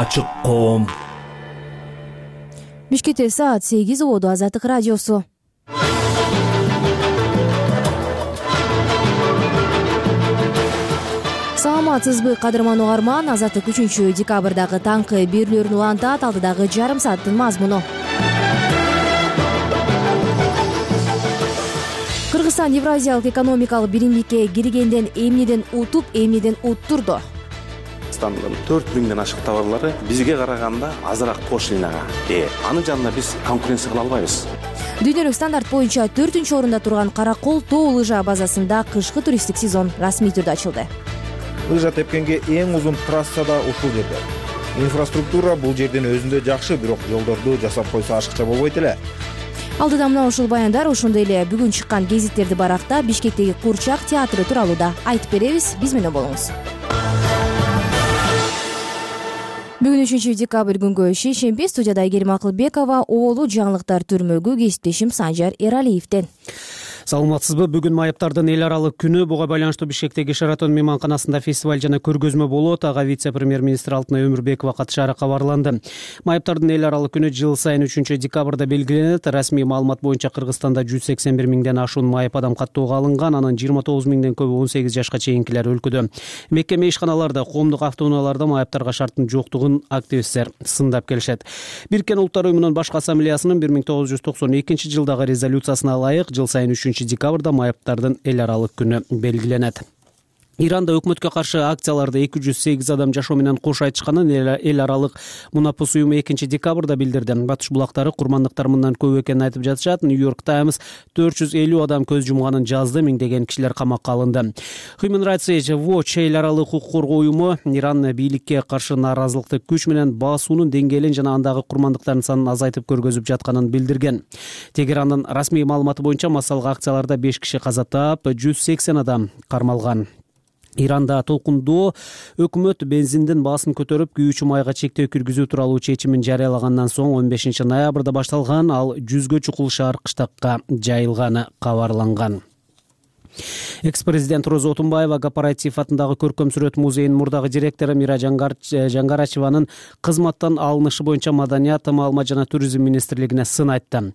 Ачык коом. Бишкекте саат 8 болду. Азаттык радиосу. Саламатсызбы кадырман угарман. Азаттык 3-декабрдагы таңкы берүүлөрүн улантат. Алдыдагы жарым сааттын мазмуну. Кыргызстан Евразиялык экономикалык биримдикке киргенден эмнеден утуп, эмнеден уттурду? 4000ден ашык товарлары бизге караганда азыраак пошлинага ээ. Анын жанында биз конкуренция кыла албайбыз. Дүйнөлүк стандарт боюнча 4-орунда турган Каракол тоо лыжа базасында кышкы туристтик сезон расмий түрдө ачылды. Лыжа тепкенге эң узун трасса да ушул жерде. Инфраструктура бул жердин өзүндө жакшы, бирок жолдорду жасап койсо ашыкча болбойт эле. Алдыда мына ушул баяндар, ошондой эле бүгүн чыккан гезиттерди баракта Бишкектеги Курчак театры тууралуу да айтып беребиз. Биз менен болуңуз. Бүгүн 3-декабрь күнгө шейшемби. Студияда Айгерим Акылбекова, оолу жаңылыктар түрмөгү кесиптешим Санжар Эралиевден. Саламатсызбы. Бүгүн майыптардын эл аралык күнү. Буга байланыштуу Бишкектеги Шаратон мейманканасында фестиваль жана көргөзмө болот. Ага вице-премьер-министр Алтынай Өмүрбекова катышаары кабарланды. Майыптардын эл аралык күнү жыл сайын 3-декабрда белгиленет. Расмий маалымат боюнча Кыргызстанда 181 миңден ашуун майып адам каттоого алынган. Анын 29 миңден көбү 18 жашка чейинкилер өлкөдө. Мекеме ишканаларда, коомдук автоунааларда майыптарга шарттын жоктугун активисттер сындап келишет. Бириккен Улуттар уюмунун башкы ассамблеясынын 1992 жылдагы резолюциясына ылайык жыл сайын 3-декабрда майыптардын эл аралык күнү белгиленет. Иранда өкмөткө каршы акцияларды 208 адам жашоо менен кош айтышканын эл аралык Мунапус уюму 2-декабрда билдирди. Батыш булактары курмандыктар мындан көп экенин айтып жатышат. Нью-Йорк Таймс 450 адам көз жумганын жазды, миңдеген кишилер камакка алынды. Human Rights Watch эл аралык укук коргоо уюму Иран бийликке каршы нааразылыкты күч менен басуунун деңгээлин жана андагы курмандыктардын санын азайтып көргөзүп жатканын билдирген. Тегерандын расмий маалыматы боюнча массалык акцияларда 5 киши каза таап, 180 адам кармалган. Иранда толкундоо өкмөт бензиндин баасын көтөрүп, күйүүчү майга чектөө киргизүү тууралуу чечимин жарыялагандан соң 15 ноябрда башталган, ал 100гө чукул шаар кыштакка жайылганы кабарланган. Экс-президент Роза Отунбаева Кооператив атындагы көркөм сүрөт музейинин мурдагы директору Мира Жаңгарачеванын кызматтан алынышы боюнча Маданият, маалымат жана туризм министрлигине сын айтты.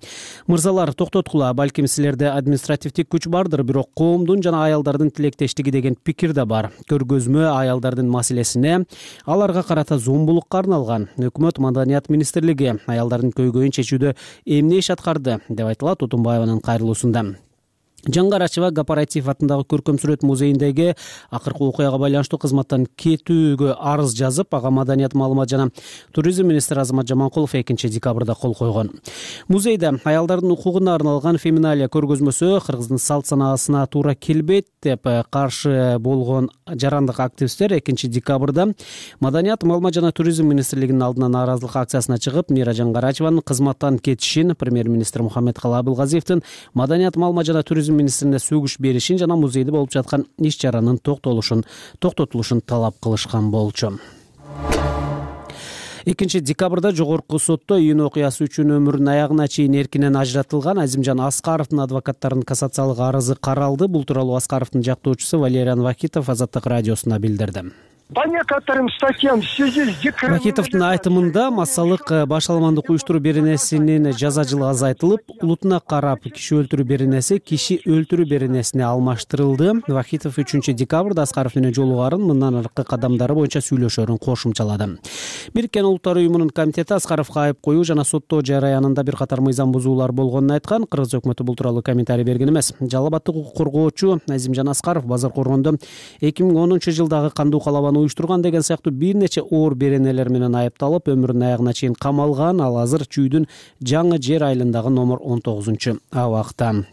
Мырзалар, токтоткула, балким силерде административдик күч бардыр, бирок коомдун жана аялдардын тилектештиги деген пикир да бар. Көргөзмө аялдардын маселесине, аларга карата зомбулукка арналган. Өкмөт, Маданият министрлиги аялдардын көйгөйүн чечүүдө эмне иш аткарды деп айтылат Отунбаеванын кайрылуусунда. Жаңгарачева Кооператив атындагы көркөм сүрөт музейиндеги акыркы окуяга байланыштуу кызматтан кетүүгө арыз жазып, ага Маданият, маалымат жана туризм министри Азамат Жаманкулов 2-декабрда кол койгон. Музейде аялдардын укугуна арналган феминалия көргөзмөсү Кыргыздын салт санаасына туура келбейт деп каршы болгон жарандык активисттер 2-декабрда Маданият, маалымат жана туризм министрлигинин алдына нааразылык акциясына чыгып, Мира Жаңгарачеванын кызматтан кетишин, премьер-министр Мухаммедкалы Абылгазиевдин Маданият, маалымат жана туризм министрине сөгүш беришин жана музейде болуп жаткан иш чаранын токтотулушун талап кылышкан болчу. 2-декабрда жогорку сотто июнь окуясы үчүн өмүрүнүн аягына чейин эркинен ажыратылган Азимжан Аскаровдун адвокаттарынын кассациялык арызы каралды. Бул тууралуу Аскаровдун жактоочусу Валериан Вахитов Азаттык радиосуна билдирди. По некоторым статьям в связи с декретом... Вахитовдун айтымында массалык башаламандык уюштуруу беренесинин жаза жылы азайтылып, улутуна карап киши өлтүрүү беренеси киши өлтүрүү беренесине алмаштырылды. Вахитов 3-декабрда Аскаров менен жолугарын, мындан аркы кадамдары боюнча сүйлөшөрүн кошумчалады. Бириккен Улуттар уюмунун комитети Аскаровго айып коюу жана соттоо жараянында бир катар мыйзам бузуулар болгонун айткан. Кыргыз өкмөтү бул тууралуу комментарий берген эмес. Жалал абаддык укук коргоочу Азимжан Аскаров базар коргондо 2010 жылдагы кандуу калабаны уюштурган деген сыяктуу бир нече оор беренелер менен айыпталып, өмүрүнүн аягына чейин камалган. Ал азыр Чүйдүн Жаңы Жер айылындагы номер 19-абакта.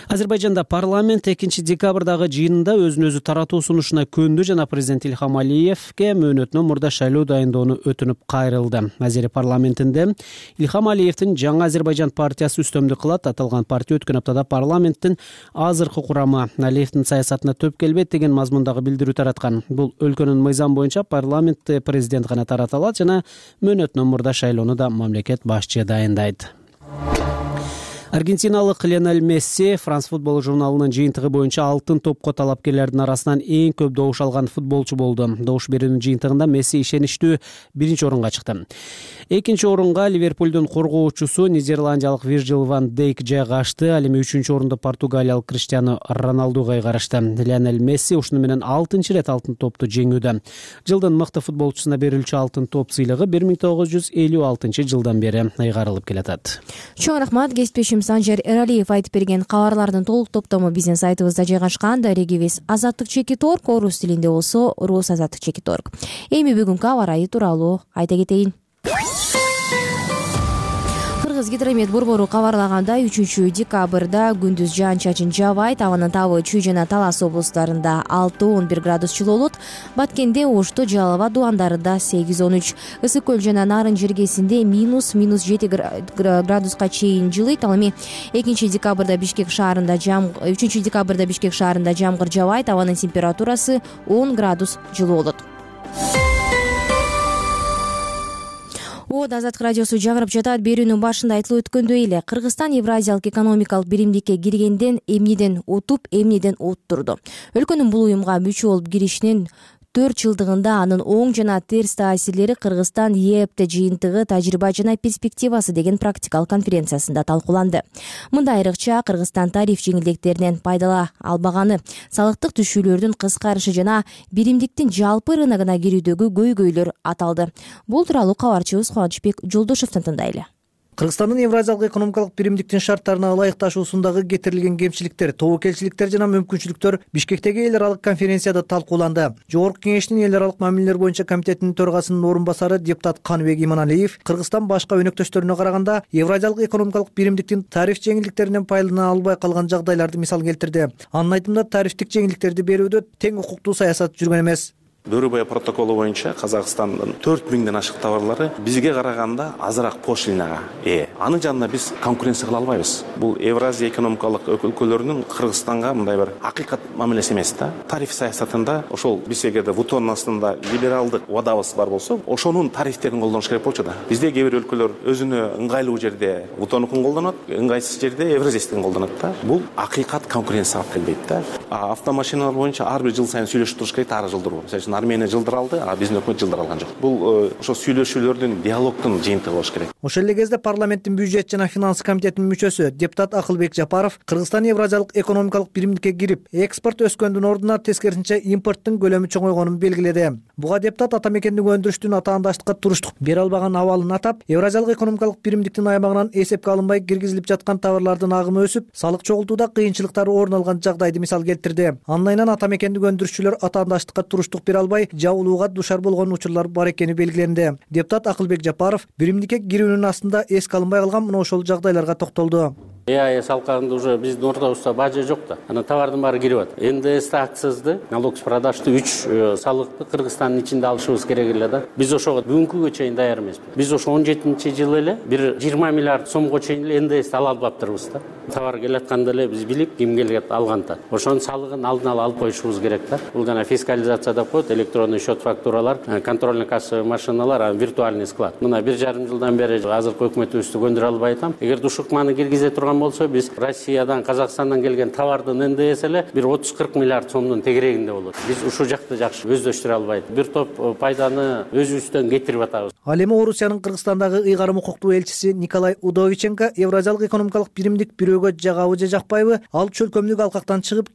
Азербайжанда парламент 2-декабрдагы жыйынында өзүн өзү таратуу сунушуна көндү жана президент Ильхам Алиевке мөөнөтүнөн мурда шайлоо дайындоону өтүнүп кайрылды. Азери парламентинде Ильхам Алиевдин Жаңы Азербайжан партиясы үстөмдүк кылат. Аталган партия өткөн аптада парламенттин азыркы курамы Алиевдин саясатына төп келбейт деген мазмундагы билдирүү тараткан. Бул өлкөнүн мыйзам боюнча парламентте президент гана тарата алат жана мөөнөтүнөн мурда шайлоону да мамлекет башчы дайындайт. Аргентиналык Лионель Месси France Football журналынын жыйынтыгы боюнча алтын топко талапкерлердин арасынан эң көп добуш алган футболчу болду. Добуш берүүнүн жыйынтыгында Месси ишеничтүү 1-орунга чыкты. 2-орунга Ливерпулдун коргоочусу нидерландиялык Вирджил ван Дейк жайгашты. Ал эми 3-орунду португалиялык Криштиану Роналдуга кайгарышты. Лионель Месси ушуну менен 6-рет алтын топту жеңүүдө. Жылдын мыкты футболчусуна берилчү алтын топ сыйлыгы 1956-жылдан бери айгарылып келатат. Чоң рахмат. Кесиптешим Санжар Эралиев айтып берген кабарлардын толук топтому биздин сайтыбызда жайгашкан. Дарегибиз Азаттык.org, орус тилинде болсо rusazаттык.org. Эми бүгүнкү аба ырайы тууралуу айта кетейин. Кыргыз гидромет борбору кабарлагандай 3-декабрда күндүз жаан-чачын жаабайт, абанын табы Чүй жана Талас облустарында 6-11 градус жылуу болот. Баткенде, Ошто, Жалал абад дубандарында 8-13, Ысык көл жана Нарын жергесинде -7 градуска чейин жылыйт. Ал эми 3 декабрда Бишкек шаарында жамгыр жаабайт, абанын температурасы 10 градус жылуу болот. Азаттык радиосу жагырып жатат. Берүүнүн башында айтылып өткөндөй эле, Кыргызстан Евразиялык экономикалык биримдикке киргенден эмнеден утуп, эмнеден уттурду. Өлкөнүн бул уюмга мүчө болуп киришинин 4 жылдыгында анын оң жана терс таасирлери Кыргызстан ЕЭПТ жыйынтыгы тажрыйба жана перспективасы деген практикалык конференциясында талкууланды. Мында айрыкча Кыргызстан тариф жеңилдиктеринен пайдала албаганы, салыктык түшүүлөрдүн кыскарышы жана биримдиктин жалпы рыногуна кирүүдөгү көйгөйлөр аталды. Бул тууралуу кабарчыбыз Кубанычбек Жолдошевдон тыңдайлы. Кыргызстандын Евразиялык экономикалык биримдиктин шарттарына ылайыкташуусундагы кетирилген кемчиликтер, тобокелчиликтер жана мүмкүнчүлүктөр Бишкектеги эл аралык конференцияда талкууланды. Жогорку кеңештин эл аралык мамилелер боюнча комитетинин төрагасынын орун басары депутат Каныбек Иманалиев Кыргызстан башка өнөктөштөрүнө караганда Евразиялык экономикалык биримдиктин тариф жеңилдиктеринен пайдалана албай калган жагдайларды мисал келтирди. Анын айтымында тарифтик жеңилдиктерди берүүдө тең укуктуу саясат жүргөн эмес. Дөрүбай протоколу боюнча Казакстандын 4000ден ашык товарлары бизге караганда азыраак пошлинага ээ. Анын жанында биз конкуренция кыла албайбыз. Бул Евразия экономикалык өлкөлөрүнүн Кыргызстанга мындай бир акыйкат мамилеси эмес да. Тариф саясатында ошол биз эгерде ВУТОнун астында либералдык убадабыз бар болсо, ошонун тарифтерин колдонуш керек болчу да. Бизде кээ бир өлкөлөр өзүнө ыңгайлуу жерде ВУТОнукун колдонот, ыңгайсыз жерде Евразиястын колдонот да. Бул акыйкат конкуренцияга алып келбейт да. Автомашиналар боюнча ар бир жыл сайын сүйлөшүп туруш керек, ар жылдыруу. Армения жылдыр алды, а биздин өкмөт жылдыр алган жок. Бул ошо сүйлөшүүлөрдүн, диалогдун жыйынтыгы болуш керек. Ошол эле кезде парламенттин бюджет жана финансы комитетинин мүчөсү депутат Акылбек Жапаров Кыргызстан Евразиялык экономикалык биримдикке кирип, экспорт өскөндүн ордуна тескерисинче импорттун көлөмү чоңойгонун белгиледи. Буга депутат ата мекендик өндүрүштүн атаандаштыкка туруштук бере албаган абалын атап, Евразиялык экономикалык биримдиктин аймагынан эсепке алынбай киргизилип жаткан товарлардын агымы өсүп, салык чогултууда кыйынчылыктар орун алган жагдайды мисал келтирди. Анын айынан ата мекендик өндүрүшчүлөр атаандаштыкка туруштук бере албай, жабылууга душар болгон учурлар бар экени белгиленди. Депутат Акылбек Жапаров биримдикке кирүүнүн астында эске алынбай калган мына ошол жагдайларга токтолду. ЭАЭС алкагында уже биздин ордобузда бажа жок да. Анан товардын баары кирип атат. НДС акцизди, налог с продажды 3 салыкты Кыргызстандын ичинде алышыбыз керек эле да. Биз ошого бүгүнкүгө чейин даяр эмеспиз. Биз ошо 17-жылы эле бир 20 миллиард сомго чейин эле НДСти ала албаптырбыз да. Товар келатканда эле биз билип, ким келет алганда. Ошонун салыгын алдын ала алып коюшубуз керек да. Бул жана фискализация деп коет, электронный счет фактуралар, контрольно-кассовый машиналар, виртуальный склад. Мына 1,5 жылдан бери азыркы өкмөтүбүздү көндүрө албай атам. Эгер ушукманы киргизе турган болсо, биз Россиядан, Казакстандан келген товардын НДС эле бир 30-40 миллиард сомдун тегерегинде болот. Биз ушул жакты жакшы өздөштүрө албайт. Бир топ пайданы өзүбүздөн кетирип атабыз. Ал эми Орусиянын Кыргызстандагы ыйгарым укуктуу элчиси Николай Удовиченко Евразиялык экономикалык биримдик бирөөгө жагабы же жакпайбы, ал чөлкөмдүк алкактан чыгып,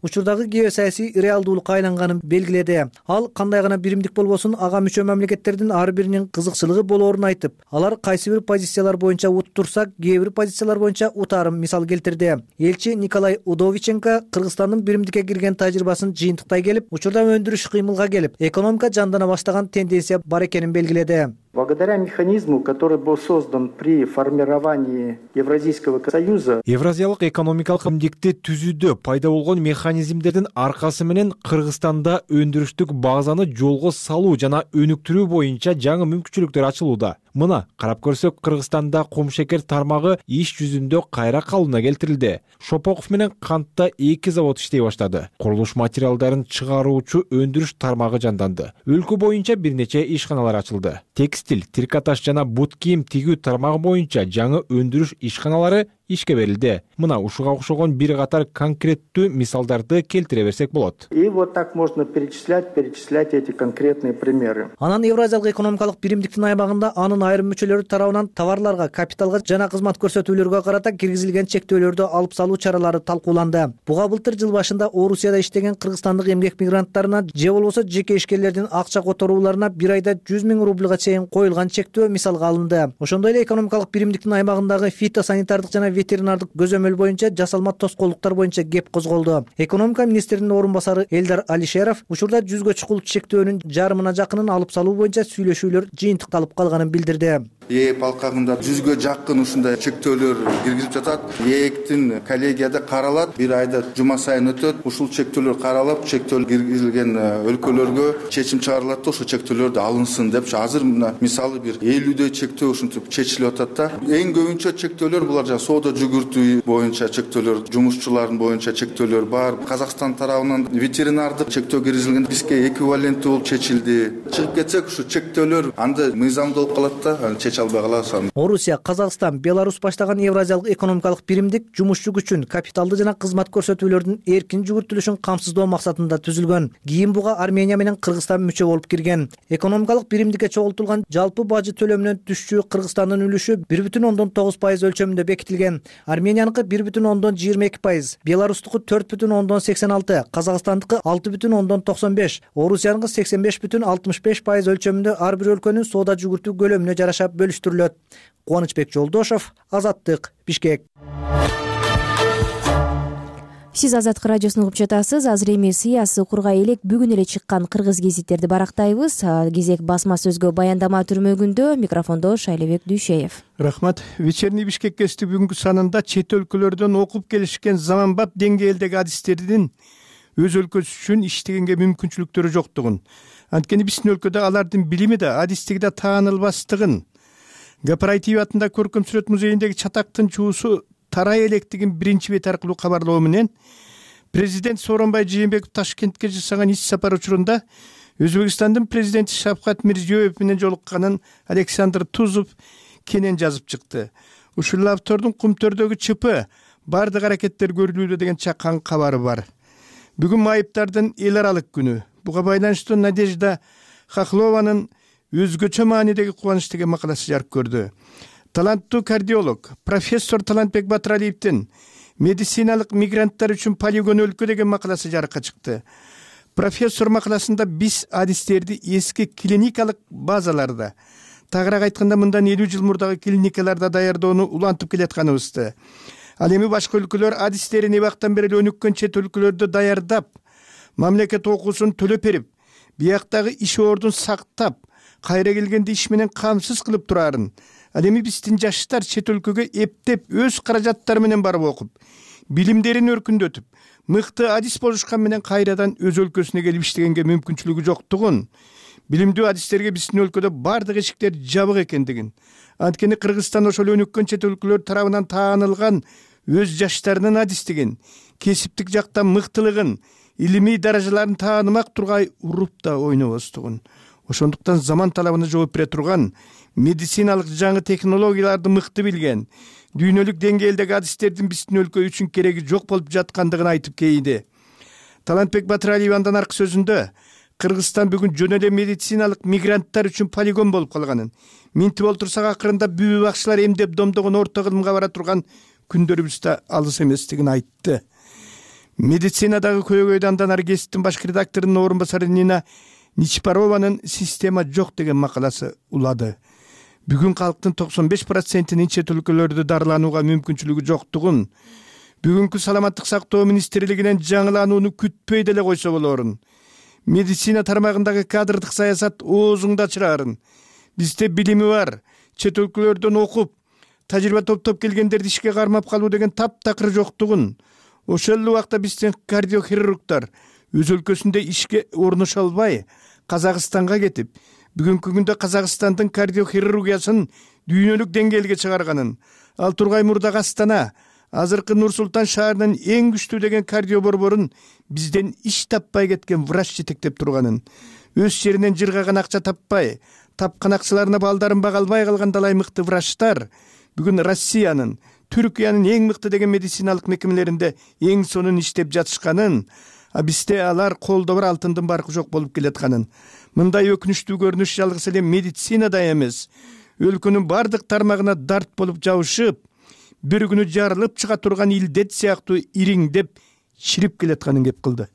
учурдагы геосаясий реалдуулукка айланганын белгиледи. Ал кандай гана биримдик болбосун, ага мүчө мамлекеттердин ар биринин кызыкчылыгы болоорун айтып, алар кайсы бир позициялар боюнча уттурса, кээ бир позициялар боюнча утарын мисал келтирди. Элчи Николай Удовиченко Кыргызстандын биримдикке кирген тажрыйбасын жыйынтыктай келип, учурда өндүрүш кыймылга келип, экономика жандана баштаган тенденция бар экенин белгиледи. Благодаря механизму, который был создан при формировании Евразийского союза, Евразиялык экономикалык биримдикти түзүүдө пайда болгон механизмдердин аркасы менен Кыргызстанда өндүрүштүк базаны жолго салуу жана өнүктүрүү боюнча жаңы мүмкүнчүлүктөр ачылууда. Мына карап көрсөк, Кыргызстанда кум шекер тармагы иш жүзүндө кайра калыбына келтирилди. Шопоков менен кантта 2 завод иштей баштады. Курулуш материалдарын чыгаруучу өндүрүш тармагы жанданды. Өлкө боюнча бир нече ишканалар ачылды. Текстиль, трикотаж жана бут кийим тигүү тармагы боюнча жаңы өндүрүш ишканалары ишке берилди. Мына ушуга окшогон бир катар конкреттүү мисалдарды келтире берсек болот. И вот так можно перечислять эти конкретные примеры. Анан Евразиялык экономикалык биримдиктин аймагында анын айрым мүчөлөрү тарабынан товарларга, капиталга жана кызмат көрсөтүүлөргө карата киргизилген чектөөлөрдү алып салуу чаралары талкууланды. Буга былтыр жыл башында Орусияда иштеген кыргызстандык эмгек мигранттарына же болбосо жеке ишкерлердин акча которууларына бир айда 100 000 рубльга чейин коюлган чектөө мисалга алынды. Ошондой эле экономикалык биримдиктин аймагындагы фитосанитардык жана ветеринардык көзөмөл боюнча жасалма тоскоолдуктар боюнча кеп козголду. Экономика министринин орун басары Элдар Алишеров учурда 100гө чукул чектөөнүн жарымына жакынын алып салуу боюнча сүйлөшүүлөр жыйынтыкталып калганын билдирди. ээп алкагында 100гө жакын ушундай чектөөлөр киргизип жатат. ээктин коллегияда каралат, бир айда жума сайын өтөт. Ушул чектөөлөр каралып, чектөөл киргизилген өлкөлөргө чечим чыгарылат да ошо чектөөлөрдү алынсын деп. Азыр мисалы бир 50дөй чектөө ушинтип чечилип атат да. Эң көбүнчө чектөөлөр булар жана соода жүгүртүү боюнча чектөөлөр, жумушчулардын боюнча чектөөлөр бар. Казакстан тарабынан ветеринардык чектөө киргизилген, бизге эквиваленттүү болуп чечилди. Чыгып кетсек ушу чектөөлөр анда мыйзамдуу болуп калат да, чече албай каласың. Орусия, Казакстан, Беларусь баштаган Евразиялык экономикалык биримдик жумушчу күчүн, капиталды жана кызмат көрсөтүүлөрдүн эркин жүгүртүлүшүн камсыздоо максатында түзүлгөн. Кийин буга Армения менен Кыргызстан мүчө болуп кирген. Экономикалык биримдикке чогултулган жалпы бажы төлөмүнөн түшчү Кыргызстандын үлүшү 1,9% өлчөмүндө бекитилген. Арменияныкы 1,22%, Беларустуку 4,86%, Казакстандыкы 6,95%, Орусияныкы 85,65% өлчөмүндө ар бир өлкөнүн соода жүгүртүү көлөмүнө жараша бөлүштүрүлөт. Кубанычбек Жолдошов, Азаттык, Бишкек. Сиз Азаттык радиосун угуп жатасыз. Азыр эми сыясий укурга элек бүгүн эле чыккан кыргыз гезиттерди барактайбыз. Кезек басма сөзгө баяндама түрмөгүндө. Микрофондо Шайлебек Дүйшеев. Рахмат. Вечерний Бишкек гезити бүгүнкү санында чет өлкөлөрдөн окуп келишкен заманбап деңгээлдеги адистердин өз өлкөсү үчүн иштегенге мүмкүнчүлүктөрү жоктугун, анткени биздин өлкөдө алардын билими да, адистиги да таанылбастыгын, Гапарайтиев атында көркөм сүрөт музейиндеги чатактын чуусу тарай электигин биринчи бет аркылуу кабарлоо менен президент Сооронбай Жээнбеков Ташкентке жасаган иш сапар учурунда Өзбекстандын президенти Шавкат Мирзиёев менен жолукканын Александр Тузов кенен жазып чыкты. Ушул автордун Кумтөрдөгү ЧП бардык аракеттер көрүлүүдө деген чакан кабары бар. Бүгүн майыптардын эл аралык күнү. Буга байланыштуу Надежда Хохлованын өзгөчө маанидеги кубаныч деген макаласы жарык көрдү. Таланттуу кардиолог профессор Талантбек Батыралиевдин медициналык мигранттар үчүн полигон өлкө деген макаласы жарыкка чыкты. Профессор макаласында биз адистерди эски клиникалык базаларда, тагыраак айтканда мындан 50 жыл мурдагы клиникаларда даярдоону улантып келатканыбызды, ал эми башка өлкөлөр адистерин эбактан бери өнүккөн чет өлкөлөрдө даярдап, мамлекет окуусун төлөп берип, бияктагы иш ордун сактап, кайра келгенде иш менен камсыз кылып турарын, ал эми биздин жаштар чет өлкөгө эптеп өз каражаттары менен барып окуп, билимдерин өркүндөтүп, мыкты адис болушкан менен кайрадан өз өлкөсүнө келип иштегенге мүмкүнчүлүгү жоктугун, билимдүү адистерге биздин өлкөдө бардык эшиктер жабык экендигин, анткени Кыргызстан ошол өнүккөн чет өлкөлөр тарабынан таанылган өз жаштарынын адистигин, кесиптик жактан мыктылыгын, илимий даражаларын таанымак тургай уруп да ойнобостугун. Ошондуктан заман талабына жооп бере турган, медициналык жаңы технологияларды мыкты билген, дүйнөлүк деңгээлдеги адистердин биздин өлкө үчүн кереги жок болуп жаткандыгын айтып кейди. Талантбек Батыралиев андан аркы сөзүндө Кыргызстан бүгүн жөн эле медициналык мигранттар үчүн полигон болуп калганын, минтип олтурсак акырында бүбү бакчылар эмдеп домдогон орто кылымга бара турган күндөрүбүз да алыс эместигин айтты. Медицинадагы көйгөйдү андан ары гезиттин баш редакторунун орун басары Нина Ничпарованын система жок деген макаласы улады. Бүгүн калктын 95%-ин чет өлкөлөрдө дарыланууга мүмкүнчүлүгү жоктугун, бүгүнкү саламаттык сактоо министрлигинен жаңыланууну күтпөй деле койсо болорун, медицина тармагындагы кадрдык саясат оозуңду ачырарын, бизде билими бар, чет өлкөлөрдөн окуп, тажрыйба топтоп келгендерди ишке кармап калуу деген таптакыр жоктугун, ошол эле убакта биздин кардиохирургдар өз өлкөсүндө ишке орношо албай, Казакстанга кетип, бүгүнкү күндө Казакстандын кардиохирургиясын дүйнөлүк деңгээлге чыгарганын, ал Тургай мурдагы Астана, азыркы Нур-Султан шаарынын эң күчтүү деген кардио борборун бизден иш таппай кеткен врач жетектеп турганын, өз жеринен жыргаган акча таппай, тапкан акчаларына балдарын бага албай калган далай мыкты врачтар бүгүн Россиянын, Түркиянын эң мыкты деген медициналык мекемелеринде эң сонун иштеп жатышканын, бизде алар колдо бар алтындын баркы жок болуп келатканын. Мындай өкүнүчтүү көрүнүш жалгыз эле медицинада эмес, өлкөнүн бардык тармагына дарт болуп жабышып, бир күнү жарылып чыга турган илдет сыяктуу ириңдеп чирип келатканын кеп кылды.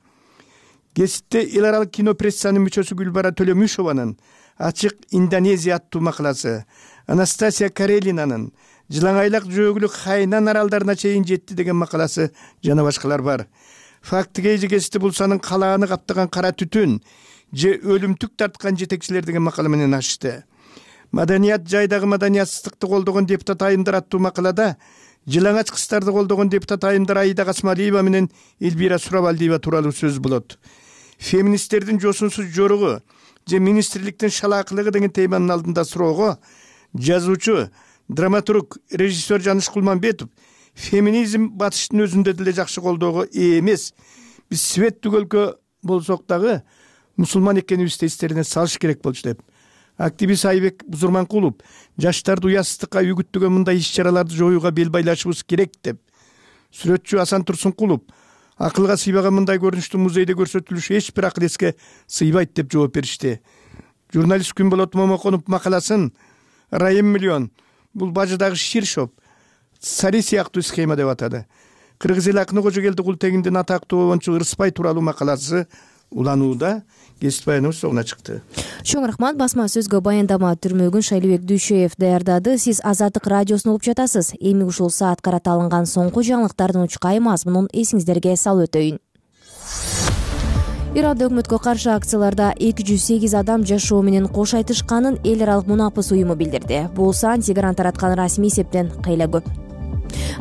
Кесипте эл аралык кино прессанын мүчөсү Гүлбара Төлөмүшованын Ачык Индонезия аттуу макаласы, Анастасия Карелинанын Жылаңайлак жөөгүлүк Хайнан аралдарына чейин жетти деген макаласы жана башкалар бар. Фактыге эжекести булсанын калааны каптаган кара түтүн же өлүмтүк тарткан жетекчилер деген макала менен ачты. Маданият жайдагы маданиятсыздыкты колдогон депутат айымдар аттуу макалада жылаңач кыздарды колдогон депутат айымдар Аида Касмалиева менен Элбира Сурабалдиева тууралуу сөз болот. Феминисттердин жосунсуз жоругу же министрликтин шалаакылыгы деген теманын алдында суроого жазуучу, драматург, режиссер Жаныш Кулманбетов феминизм батыштын өзүндө деле жакшы колдоого ээ эмес. Биз светтик өлкө болсок дагы мусулман экенибизди эстерине салыш керек болчу деп. Активист Айбек Бузурманкулов жаштарды уятсыздыкка үгүттөгөн мындай иш-чараларды жоюуга бел байлашыбыз керек деп. Сүрөтчү Асан Турсункулов акылга сыйбаган мындай көрүнүштү музейде көрсөтүлүшү эч бир акыл эске сыйбайт деп жооп беришти. Журналист Күнболот Момоконов макаласын Райым миллион бул бажыдагы Ширшоп Сари сыяктуу схема деп атады. Кыргыз эл акыны Кожогелди Култегиндин атактуу обончу Ырыспай тууралуу макаласы уланууда. Кесип баяныбыз соңуна чыкты. Чоң рахмат. Басма сөзгө баяндама түрмөгүн Шайлыбек Дүйшөев даярдады. Сиз Азаттык радиосун угуп жатасыз. Эми ушул саат карата алынган соңку жаңылыктардын учкай мазмунун эсиңиздерге салып өтөйүн. Иранда өкмөткө каршы акцияларда 208 адам жашоо менен кош айтышканын эл аралык мунапыс уюму билдирди. Бул сан Тегеран тараткан расмий эсептен кыйла көп.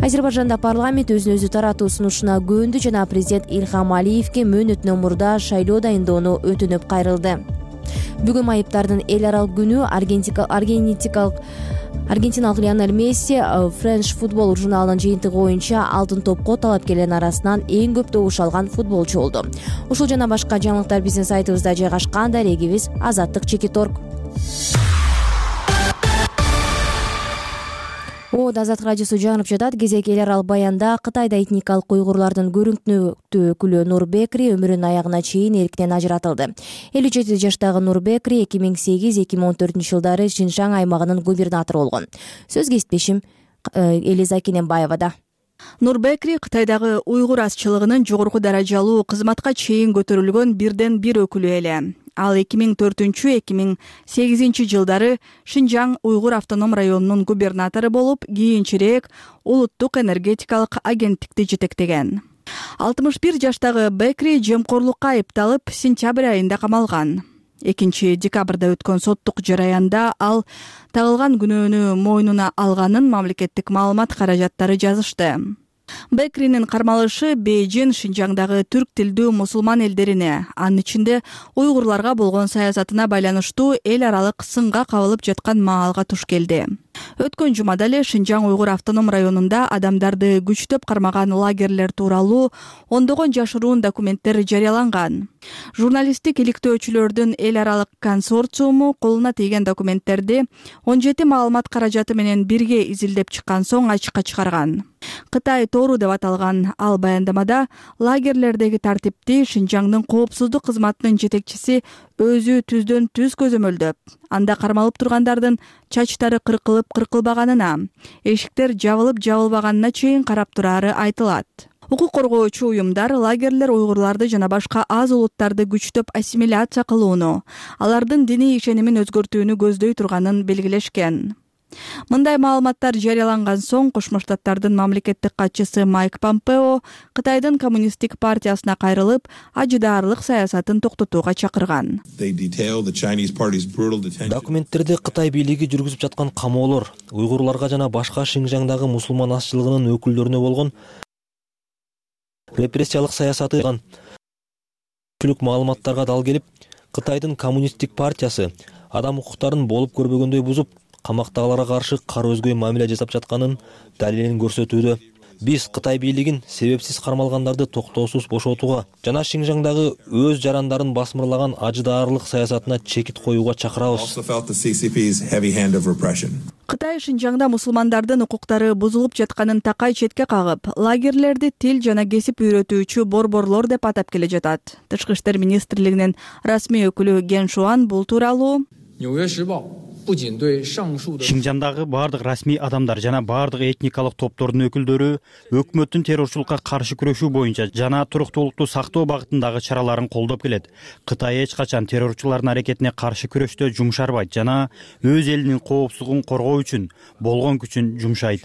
Азербайжанда парламент өзүн өзү таратуу сунушуна көөндү жана президент Илхам Алиевке мөөнөтүнөн мурда шайлоо дайындоону өтүнүп кайрылды. Бүгүн майыптардын эл аралык күнү аргентиналык Лионель Месси French Football журналынын жыйынтыгы боюнча алтын топко талапкерлердин арасынан эң көп добуш алган футболчу болду. Ушул жана башка жаңылыктар биздин сайтыбызда жайгашкан. Дарегибиз Азаттык Чекиторг. Азаттык радиосу жаңырып жатат. Кезек эл аралык баянда Кытайда этникалык уйгурлардын көрүнүктүү өкүлү Нур Бекри өмүрүнүн аягына чейин эрктен ажыратылды. 57 жаштагы Нур Бекри 2008-2014 жылдары Шинжаң аймагынын губернатору болгон. Сөз кесиптешим Элиза Кененбаевада. Нур Бекри Кытайдагы уйгур азчылыгынын жогорку даражалуу кызматка чейин көтөрүлгөн бирден бир өкүлү эле. Ал 2004-2008 жылдары Шинжаң уйгур автоном районунун губернатору болуп, кийинчерээк улуттук энергетикалык агенттикти жетектеген. 61 жаштагы Бекри жемкорлукка айыпталып, сентябрь айында камалган. 2-декабрда өткөн соттук жараянда ал тагылган күнөөнү мойнуна алганын мамлекеттик маалымат каражаттары жазышты. Бекринин кармалышы Бейжин Шинжаңдагы түрк тилдүү мусулман элдерине, анын ичинде уйгурларга болгон саясатына байланыштуу эл аралык сынга кабылып жаткан маалга туш келди. Өткөн жумада эле Шинжаң уйгур автоном районунда адамдарды күчтөп кармаган лагерлер тууралуу ондогон жашыруун документтер жарыяланган. Журналисттик иликтөөчүлөрдүн эл аралык консорциуму колуна тийген документтерди 17 маалымат каражаты менен бирге изилдеп чыккан соң ачыкка чыгарган. Кытай тору деп аталган ал баяндамада лагерлердеги тартипти Шинжаңдын коопсуздук кызматынын жетекчиси өзү түздөн түз көзөмөлдөп, анда кармалып тургандардын чачтары кыркылып-кыркылбаганына, эшиктер жабылып-жабылбаганына чейин карап турары айтылат. Укук коргоочу уюмдар лагерлер уйгурларды жана башка аз улуттарды күчтөп ассимиляция кылууну, алардын диний ишенимин өзгөртүүнү көздөй турганын белгилешкен. Мындай маалыматтар жарыяланган соң Кошмо Штаттардын мамлекеттик катчысы Майк Помпео Кытайдын коммунисттик партиясына кайрылып, ажыдаарлык саясатын токтотууга чакырган. Документтерде Кытай бийлиги жүргүзүп жаткан камоолор, уйгурларга жана башка Шинжаңдагы мусулман азчылыгынын өкүлдөрүнө болгон репрессиялык саясаты маалыматтарга дал келип, Кытайдын коммунисттик партиясы адам укуктарын болуп көрбөгөндөй бузуп, камактагыларга каршы кара өзгөй мамиле жасап жатканын далилин көрсөтүүдө. Биз Кытай бийлигин себепсиз кармалгандарды токтоосуз бошотууга жана Шинжаңдагы өз жарандарын басмырлаган ажыдаарлык саясатына чекит коюуга чакырабыз. Кытай Шинжаңда мусулмандардын укуктары бузулуп жатканын такай четке кагып, лагерлерди тил жана кесип үйрөтүүчү борборлор деп атап келе жатат. Тышкы иштер министрлигинин расмий өкүлү Ген Шуан бул тууралуу Шинжаңдагы бардык расмий адамдар жана бардык этникалык топтордун өкүлдөрү өкмөттүн террорчулукка каршы күрөшүү боюнча жана туруктуулукту сактоо багытындагы чараларын колдоп келет. Кытай эч качан террорчулардын аракетине каршы күрөштө жумшарбайт жана өз элинин коопсуздугун коргоо үчүн болгон күчүн жумшайт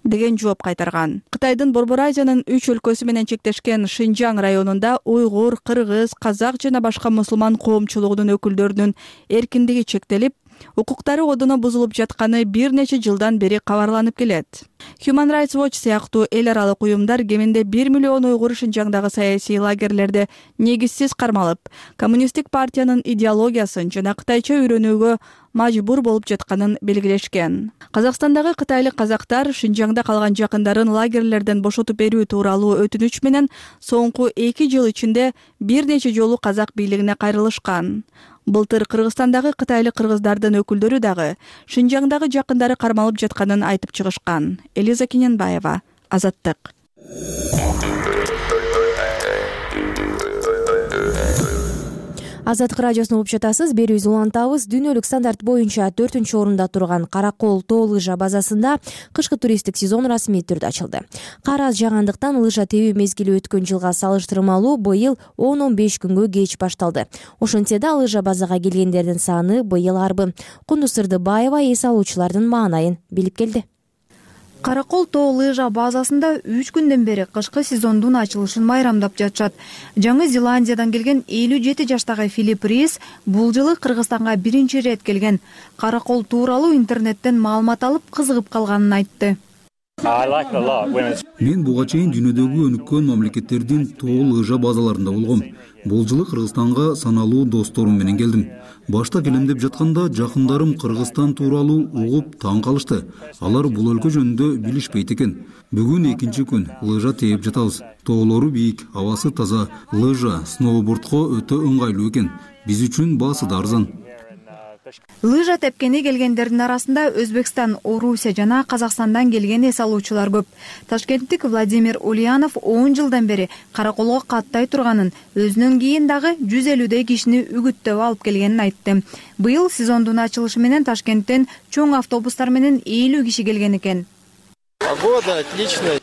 деген жооп кайтарган. Кытайдын Борбор Азиянын 3 өлкөсү менен чектешкен Шинжаң районунда уйгур, кыргыз, казак жана башка мусулман коомчулугунун өкүлдөрүнүн эркиндиги чектелип, укуктары одоно бузулуп жатканы бир нече жылдан бери кабарланып келет. Human Rights Watch сыяктуу эл аралык уюмдар кеминде 1 миллион уйгур Шинжаңдагы саясий лагерлерде негизсиз кармалып, коммунисттик партиянын идеологиясын жана кытайча үйрөнүүгө мажбур болуп жатканын белгилешкен. Казакстандагы кытайлык казактар Шинжаңда калган жакындарын лагерлерден бошотуп берүү тууралуу өтүнүч менен соңку 2 жыл ичинде бир нече жолу казак бийлигине кайрылышкан. Былтыр Кыргызстандагы кытайлык кыргыздардын өкүлдөрү дагы Шинжаңдагы жакындары кармалып жатканын айтып чыгышкан. Элиза Кененбаева, Азаттык. Азаттык радиосун угуп жатасыз. Берүүбүздү улантабыз. Дүйнөлүк стандарт боюнча 4-орунда турган Каракол тоо лыжа базасында кышкы туристтик сезон расмий түрдө ачылды. Кар аз жаагандыктан лыжа тебүү мезгили өткөн жылга салыштырмалуу быйыл 10-15 күнгө кеч башталды. Ошентсе да лыжа базага келгендердин саны быйыл арбы. Кундуз Сырдыбаева эс алуучулардын маанайын билип келди. Каракол тоо лыжа базасында 3 күндөн бери кышкы сезондун ачылышын майрамдап жатышат. Жаңы Зеландиядан келген 57 жаштагы Филипп Рис бул жылы Кыргызстанга биринчи ирет келген. Каракол тууралуу интернеттен маалымат алып кызыгып калганын айтты. Мен буга чейин дүйнөдөгү өнүккөн мамлекеттердин тоо лыжа базаларында болгом. Бул жылы Кыргызстанга саналуу досторум менен келдим. Башта келем деп жатканда жакындарым Кыргызстан тууралуу угуп таң калышты. Алар бул өлкө жөнүндө билишпейт экен. Бүгүн экинчи күн лыжа тээп жатабыз. Тоолору бийик, абасы таза. Лыжа, сноубордко өтө ыңгайлуу экен. Биз үчүн баасы да арзан. Лыжа тепкени келгендердин арасында Өзбекстан, Орусия жана Казакстандан келген эс алуучулар көп. Ташкенттик Владимир Ульянов 10 жылдан бери Караколго каттай турганын, өзүнөн кийин дагы 150 кишини үгүттөп алып келгенин айтты. Быйыл сезондун ачылышы менен Ташкенттен чоң автобустар менен 50 киши келген экен.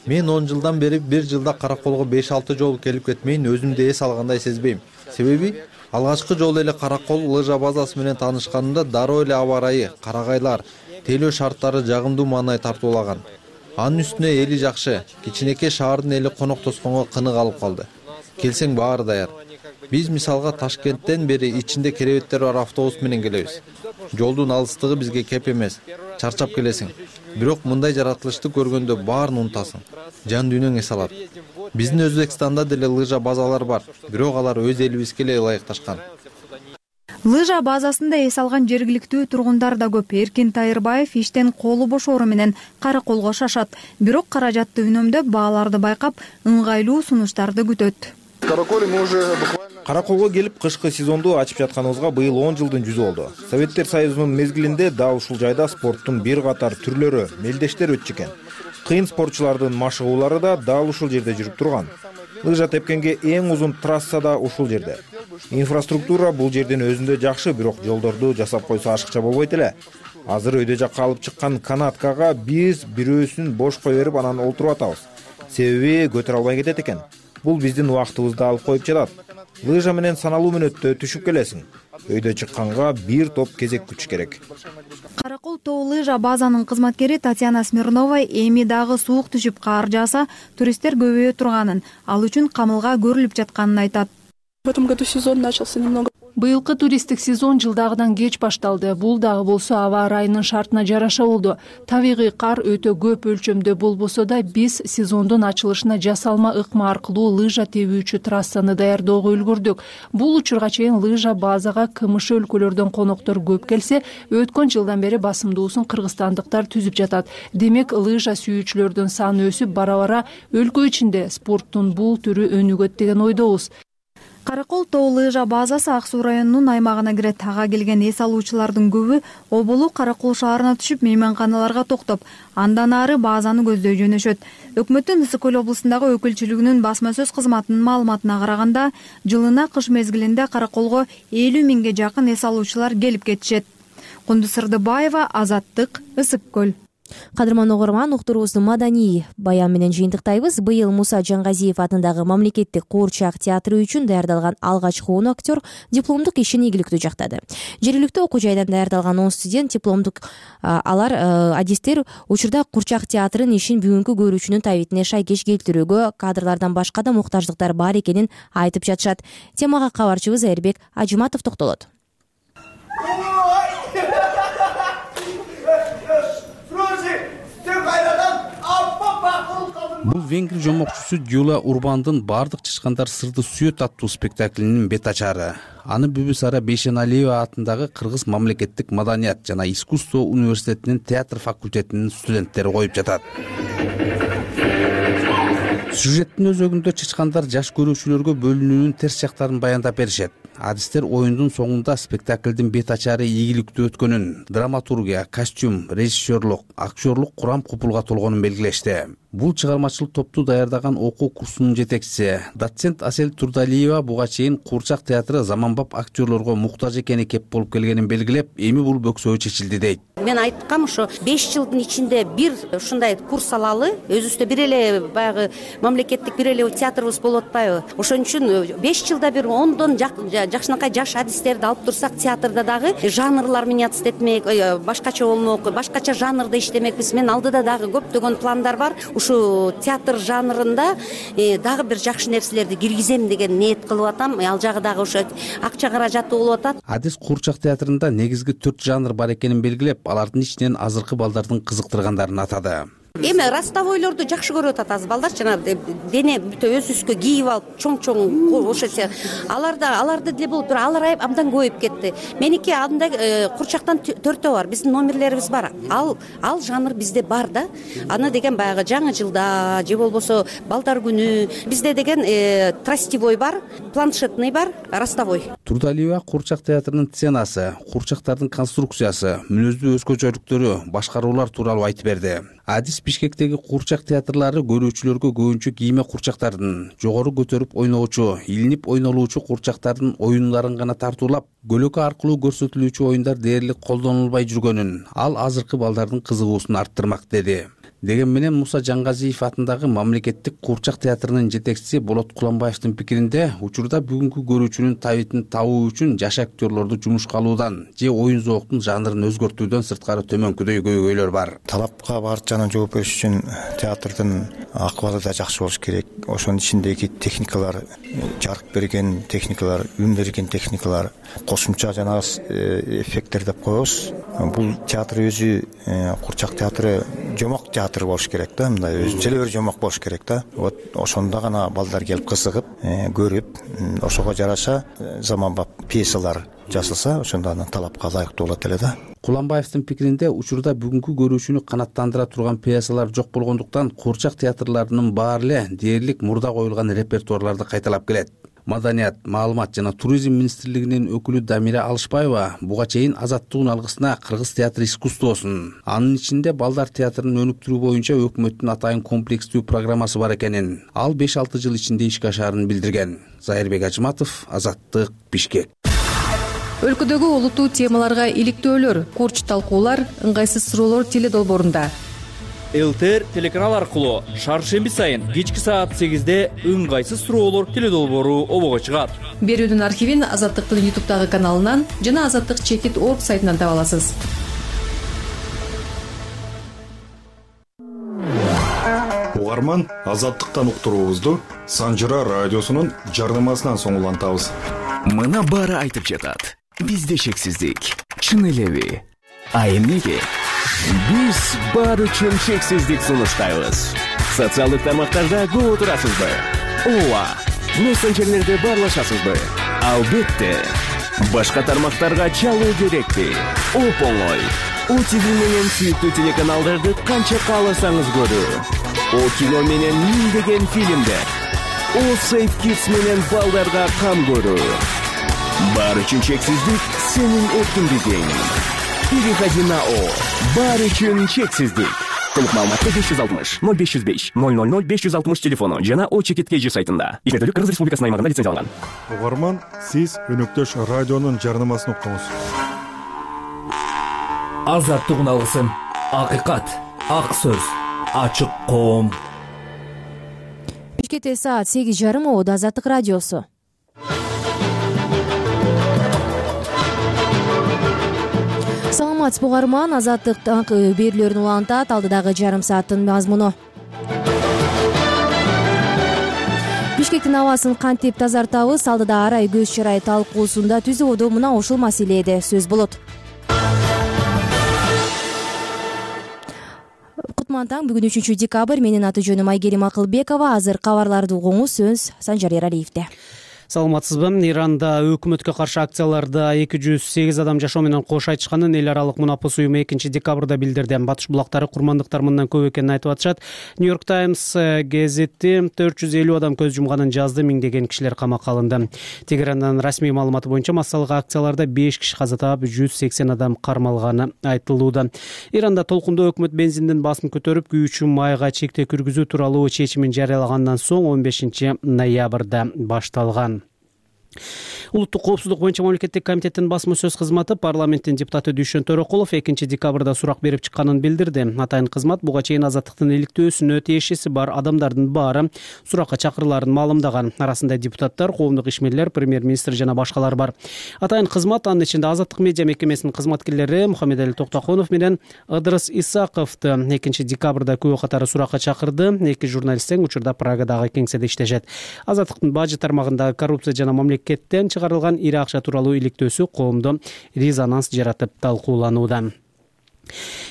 Мен 10 жылдан бери бир жылда Караколго 5-6 жолу келип кетмейин, өзүмдү эс алгандай сезбейм. Себеби алгачкы жолу эле Каракол лыжа базасы менен таанышканымда дароо эле аба ырайы, карагайлар, тейлөө шарттары жагымдуу маанай тартуулаган. Анын үстүнө эли жакшы, кичинекей шаардын эли коноктошконго кынык алып калды. Келсең баары даяр. Биз мисалга Ташкенттен бери ичинде керебеттер бар автобус менен келебиз. Жолдун алыстыгы бизге кеп эмес. Чарчап келесиң. Бирок мындай жаратылышты көргөндө баарын унутасың. Жан дүйнөң эс алат. Биздин Өзбекстанда деле лыжа базалар бар, бирок алар өз элибизге эле ылайыкташкан. Лыжа базасында эс алган жергиликтүү тургундар да көп. Эркин Тайырбаев иштен колу бошоору менен Караколго шашат. Бирок каражатты үнөмдөп, бааларды байкап, ыңгайлуу сунуштарды күтөт. Караколго келип кышкы сезонду ачып жатканыбызга быйыл 10 жылдын жүзү болду. Советтер Союзунун мезгилинде дал ушул жайда спорттун бир катар түрлөрү, мелдештер өтчү экен. Кыйын спортчулардын машыгуулары да дал ушул жерде жүрүп турган. Лыжа тепкенге эң узун трасса да ушул жерде. Инфраструктура бул жердин өзүндө жакшы, бирок жолдорду жасап койсо ашыкча болбойт эле. Азыр өйдө жакка алып чыккан канаткага биз бирөөсүн бош кое берип анан олтуруп атабыз. Себеби көтөрө албай кетет экен. Бул биздин убактыбызды алып коюп жатат. Лыжа менен саналуу мүнөттө түшүп келесиң. Өйдө чыкканга бир топ кезек күтүш керек. Каракол тоо лыжа базанын кызматкери Татьяна Смирнова эми дагы суук түшүп кар жааса, туристтер көбөйө турганын, ал үчүн камылга көрүлүп жатканын айтат. В этом году сезон начался немного. Быйылкы туристтик сезон жылдагыдан кеч башталды. Бул дагы болсо аба ырайынын шартына жараша болду. Табигый кар өтө көп өлчөмдө болбосо да биз сезондун ачылышына жасалма ыкма аркылуу лыжа тебүүчү трассаны даярдоого үлгүрдүк. Бул учурга чейин лыжа базага КМШ өлкөлөрдөн коноктор көп келсе, өткөн жылдан бери басымдуусун кыргызстандыктар түзүп жатат. Демек, лыжа сүйүүчүлөрдүн саны өсүп, бара-бара өлкө ичинде спорттун бул түрү өнүгөт деген ойдобуз. Каракол тоо лыжа базасы Ак Суу районунун аймагына кирет. Ага келген эс алуучулардын көбү Оболу Каракол шаарына түшүп, мейманканаларга токтоп, андан ары базаны көздөй жөнөшөт. Өкмөттүн Ысык көл облусундагы өкүлчүлүгүнүн басма сөз кызматынын маалыматына караганда, жылына кыш мезгилинде Караколго 50 миңге жакын эс алуучулар келип кетишет. Кундуз Сырдыбаева, Азаттык, Ысык көл. Кадырман угарман, уктуруубузду маданий баян менен жыйынтыктайбыз. Быйыл Муса Жаңгазиев атындагы мамлекеттик куурчак театры үчүн даярдалган алгачкы 10 актер дипломдук ишин ийгиликтүү жактады. Жергиликтүү окуу жайдан даярдалган 10 студент дипломдук адистер учурда куурчак театрынын ишин бүгүнкү көрүүчүнүн табитине шайкеш келтирүүгө кадрлардан башка да муктаждыктар бар экенин айтып жатышат. Темага кабарчыбыз Эрбек Ажыматов токтолот. Бул венгр жомокчусу Дюла Урбандын «Бардык чычкандар сырды сүйөт» аттуу спектаклинин бет ачары. Аны Бүбүсара Бейшеналиева атындагы Кыргыз мамлекеттик маданият жана искусство университетинин театр факультетинин студенттери коюп жатат. Сюжеттин өзөгүндө чычкандар жаш көрүүчүлөргө бөлүнүүнүн терс жактарын баяндап беришет. Адистер оюндун соңунда спектаклдин бет ачары ийгиликтүү өткөнүн, драматургия, костюм, режиссерлук, актерлук курам купулга толгонун белгилешти. Бул чыгармачылык топту даярдаган окуу курсунун жетекчиси, доцент Асель Турдалиева буга чейин куурчак театры заманбап актерлорго муктаж экени кеп болуп келгенин белгилеп, эми бул бөксөө чечилди дейт. Мен айткам, ошо 5 жылдын ичинде бир ушундай курс алалы, өзүбүздө бир эле баягы мамлекеттик бир эле театрыбыз болуп атпайбы? Ошон үчүн 5 жылда бир 10дон жакшынакай жаш адистерди алып турсак, театрда дагы жанрлар меняться этмек, башкача болмок, башкача жанрда иштемекпиз. Мен алдыда дагы көптөгөн пландар бар. Ушу театр жанрында дагы бир жакшы нерселерди киргизем деген ниет кылып атам. Ал жагы дагы ошо акча каражаты болуп атат. Адис куурчак театрында негизги 4 жанр бар экенин белгилеп, алардын ичинен азыркы балдардын кызыктыргандарын атады. Эми ростовойлорду жакшы көрүп атат аз балдар, жана дене бүтө өз-өзгө кийип алып, чоң-чоң ошо аларды деле болуп туруп, алар абдан көбөйүп кетти. Меники андай курчактан 4төө бар, биздин номерлерибиз бар. Ал жанр бизде бар да. Аны деген баягы жаңы жылда же болбосо балдар күнү, бизде деген тростевой бар, планшетный бар, ростовой. Турдалиева куурчак театрынын сценасы, куурчактардын конструкциясы, мүнөздүү өзгөчөлүктөрү, башкаруулар тууралуу айтып берди. Адис Бишкектеги куурчак театрлары көрүүчүлөргө көбүнчө кийме куурчактардын, жогору көтөрүп ойногучу, илинип ойнолуучу куурчактардын оюнларын гана тартуулап, көлөкө аркылуу көрсөтүлүүчү оюндар дээрлик колдонулбай жүргөнүн, ал азыркы балдардын кызыгуусун арттырмак деди. Деген менен Муса Жаңгазиев атындагы мамлекеттик куурчак театрынын жетекчиси Болот Куламбаевдин пикиринде, учурда бүгүнкү көрүүчүнүн табитин табуу үчүн жаш актерлорду жумушка алуудан же оюн зооктун жанрын өзгөртүүдөн сырткары төмөнкүдөй көйгөйлөр бар. Талапка барчанын жооп бериш үчүн театрдын акыбалы да жакшы болуш керек. Ошонун ичиндеги техникалар, жарык берген техникалар, үн берген техникалар, кошумча жана эффекттер деп коебуз. Бул театр өзү куурчак театры жомок театр болуш керек да, мындай өзүнчө бир жомок болуш керек да. Вот ошондо гана балдар келип кызыгып, көрүп, ошого жараша заманбап пьесалар жасалса, ошондо анан талапка ылайыктуу болот эле да. Куламбаевдин пикиринде, учурда бүгүнкү көрүүчүнү канаттандыра турган пьесалар жок болгондуктан, куурчак театрларынын баары эле дээрлик мурда коюлган репертуарларды кайталап келет. Маданият, маалымат жана туризм министрлигинин өкүлү Дамира Алышбаева буга чейин Азаттыктын алгысына кыргыз театр искусствосун, анын ичинде балдар театрын өнүктүрүү боюнча өкмөттүн атайын комплекстүү программасы бар экенин, ал 5-6 жыл ичинде ишке ашаарын билдирген. Зайырбек Ажыматов, Азаттык, Бишкек. Өлкөдөгү олуттуу темаларга иликтөөлөр, курч талкуулар, ыңгайсыз суроолор теледолбоорунда. ЛТР телеканал аркылуу шаршемби сайын кечки саат 8-де ыңгайсыз суроолор теледолбоору обого чыгат. Берүүнүн архивин Азаттыктын YouTube'дагы каналынан жана azattik.org сайтынан таба аласыз. угарман, Азаттыктан уктуруубузду Санжыра радиосунун жардамасынан соң улантабыз. Мына баары айтып жатат. Бизде шексиздик. Чын элеби? А эмнеге? Биз баары үчүн шексиздик сунуштайбыз. Социалдык тармактарда көп отурасызбы? Ооба. Мессенджерлерде баарлашасызбы? Албетте. Башка тармактарга чалуу керекпи? Оп-оңой. ОТВ менен сүйүктүү телеканалдарды канча кааласаңыз көрүү. О кино менен миңдеген фильмдер. О Safe Kids менен балдарга кам көрүү. Баары үчүн чексиздик сенин эркиндигиң. Переходи на О. Баары үчүн чексиздик. Толук маалыматты 560 0505 000 560 телефону жана О Чекит KG сайтында. Иштетүүлүк Кыргыз Республикасынын аймагында лицензияланган. Угарман, сиз өнөктөш радионун жарнамасын уктуңуз. Азаттык уналгысын. Акыйкат, ак сөз, ачык коом. Бишкекте саат 8:30 Оодо Азаттык радиосу. Саламатсызбы угарман, Азаттык берүүлөрүн улантат алдыдагы жарым сааттын мазмуну. Бишкектин абасын кантип тазартабыз, алдыда арай көз чарай талкуусунда түзүүдө мына ушул маселеде сөз болот. Кутман таң, бүгүн 3 декабрь, менин аты жөнүм Айгерим Акылбекова. Азыр кабарларды угуңуз, сөз Санжар Эралиевде. Саламатсызбы. Иранда өкмөткө каршы акцияларда 208 адам жашоо менен кош айтышканын эл аралык мунапыс уюму 2 декабрда билдирди. Батыш булактары курмандыктар мындан көп экенин айтып атышат. Нью-Йорк Таймс газети 450 адам көз жумганын жазды, миңдеген кишилер камакка алынды. Тегерандан расмий маалыматы боюнча массалык акцияларда 5 киши каза таап, 180 адам кармалганы айтылууда. Иранда толкундуу өкмөт бензиндин баасын көтөрүп, күйүүчү майга чектөө киргизүү тууралуу чечимин жарыялагандан соң 15 ноябрда башталган. Улуттук коопсуздук боюнча мамлекеттик комитеттин басма сөз кызматы парламенттин депутаты Дүйшөн Төрөкулов 2 декабрда сурак берип чыкканын билдирди. Атайын кызмат буга чейин азаттыктын иликтөөсүнө тиешеси бар адамдардын баары суракка чакырылаарын маалымдаган. Арасында депутаттар, коомдук ишмерлер, премьер-министр жана башкалар бар. Атайын кызмат анын ичинде Азаттык медиа мекемесинин кызматкерлери Мухаммедали Токтоконов менен Ыдырыс Исаковду 2 декабрда күбө катары суракка чакырды. Эки журналист тең учурда Прагадагы кеңседе иштешет. Азаттыктын бажы тармагындагы коррупция жана мамлекеттен чыгарылган ири акча тууралуу иликтөөсү коомдо резонанс жаратып талкууланууда.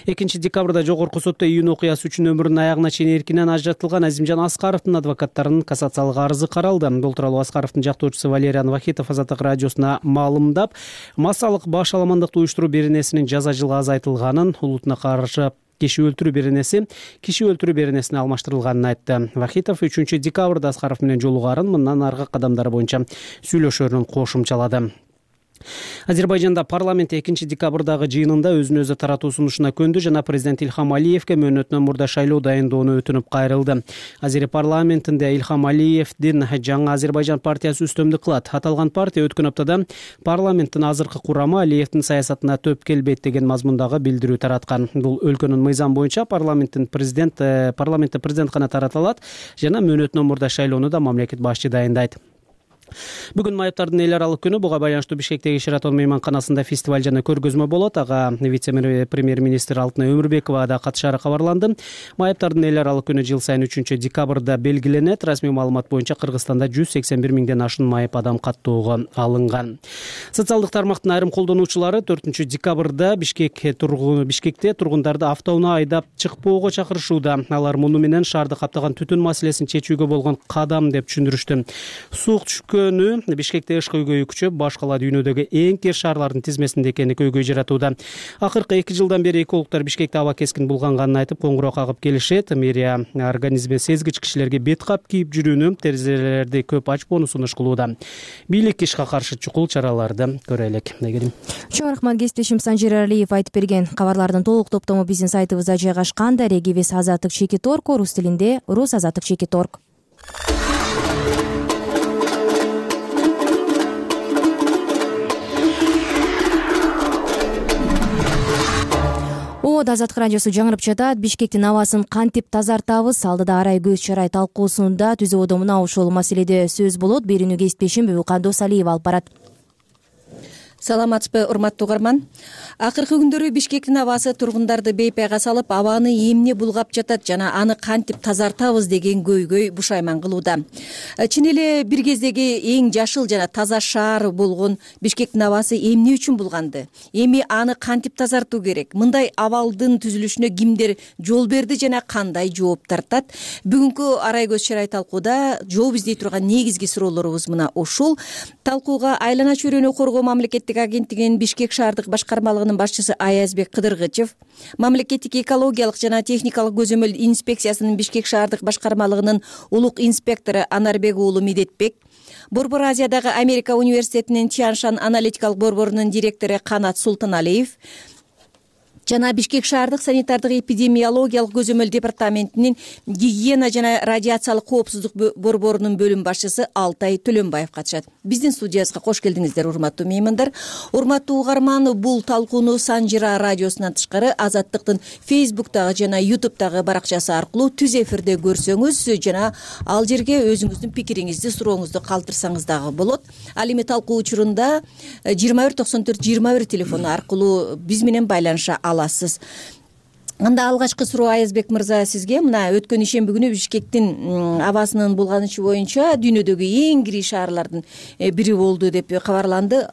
2 декабрда жогорку сотто июнь окуясы үчүн өмүрүнүн аягына чейин эркинен ажыратылган Азимжан Аскаровдун адвокаттарынын кассациялык арызы каралды. Бул тууралуу Аскаровдун жактоочусу Валериан Вахитов Азаттык радиосуна маалымдап, массалык баш аламандыкты уюштуруу беренесинин жаза жылга азайтылганын, улутуна каршы киши өлтүрүү беренесине алмаштырылганын айтты. Вахитов 3 декабрда Аскаров менен жолугарын, мындан аркы кадамдары боюнча сүйлөшөөрүн кошумчалады. Азербайжанда парламент 2 декабрдагы жыйынында өзүн өзү таратуу сунушуна көндү жана президент Илхам Алиевке мөөнөтүнөн мурда шайлоо дайындоону өтүнүп кайрылды. Азери парламентинде Илхам Алиевдин жаңы Азербайжан партиясы үстөмдүк кылат. Аталган партия өткөн аптада парламенттин азыркы курамы Алиевдин саясатына төп келбейт деген мазмундагы билдирүү тараткан. Бул өлкөнүн мыйзам боюнча парламентте президент гана тарата алат жана мөөнөтүнөн мурда шайлоону да мамлекет башчы дайындайт. Бүгүн майыптардын эл аралык күнү. Буга байланыштуу Бишкектеги Шератон мейманканасында фестиваль жана көргөзмө болот. Ага вице-премьер-министр Алтын Өмүрбекова да катышаары кабарланды. Майыптардын эл аралык күнү жыл сайын 3 декабрда белгиленет. Расмий маалымат боюнча Кыргызстанда 181 миңден ашуун майып адам каттоого алынган. Социалдык тармактын айрым колдонуучулары 4 декабрда Бишкекте тургундарды автоунаа айдап чыкпоого чакырышууда. Алар муну менен шаарды каптаган түтүн маселесин чечүүгө болгон кадам деп түшүндүрүштү. Суук Бишкекте ыш көйгөйү күчөп, баш кала дүйнөдөгү эң кер шаарлардын тизмесинде экени көйгөй жаратууда. Акыркы 2 жылдан бери экологдор Бишкекте аба кескин булганганын айтып, коңгуроо кагып келишет. Мэрия организми сезгич кишилерге бет кап кийип жүрүүнү, терезелерди көп ачпоону сунуш кылууда. Бийлик ишке каршы чукул чараларды көрөлүк. Чоң рахмат, кесиптешим Санжар Эралиев айтып берген кабарлардын толук топтому биздин сайтыбызда жайгашкан. Дарегибиз azattik.org, рус тилинде rusazattik.org. Оодо Азаттык радиосу жаңырып жатат. Бишкектин абасын кантип тазартабыз, алдыда арай көз чарай талкуусунда түзүүдө мына ушул маселеде сөз болот. Берүүнү кесиптешим Бүбүкан Досалиева алып барат. саламатсызбы урматтуу угарман. Акыркы күндөрү Бишкектин абасы тургундарды бейпайга салып, абаны эмне булгап жатат жана аны кантип тазартабыз деген көйгөй бушайман кылууда. Чын эле бир кездеги эң жашыл жана таза шаар болгон Бишкектин абасы эмне үчүн булганды? Эми аны кантип тазартуу керек? Мындай абалдын түзүлүшүнө кимдер жол берди жана кандай жооп тартат? Бүгүнкү арай көз чарай талкууда жооп издей турган негизги суроолорубуз мына ушул. Талкууга Айлана чөйрөнү коргоо мамлекеттик агенттигинин Бишкек шаардык башкармалыгынын башчысы Аязбек Кыдыргычев, мамлекеттик экологиялык жана техникалык көзөмөл инспекциясынын Бишкек шаардык башкармалыгынын улук инспектору Анарбек уулу Медетбек, Борбор Азиядагы Америка университетинин Тяншан аналитикалык борборунун директору Канат Султаналиев жана Бишкек шаардык санитардык эпидемиологиялык көзөмөл департаментинин гигиена жана радиациялык коопсуздук борборунун бөлүм башчысы Алтай Төлөнбаев катышат. Биздин студиябызга кош келдиңиздер, урматтуу меймандар. Урматтуу угарман, бул талкууну Санжыра радиосунан тышкары Азаттыктын Facebook'тагы жана YouTube'тагы баракчасы аркылуу түз эфирде көрсөңүз жана ал жерге өзүңүздүн пикириңизди, сурооңузду калтырсаңыз дагы болот. Ал эми талкуу учурунда 2194-21 телефону аркылуу биз менен байланыша аласыз. Анда алгачкы суроо Аязбек мырза сизге. Мына өткөн ишемби күнү Бишкектин абасынын булганышы боюнча дүйнөдөгү эң кири шаарлардын бири болду деп кабарланды.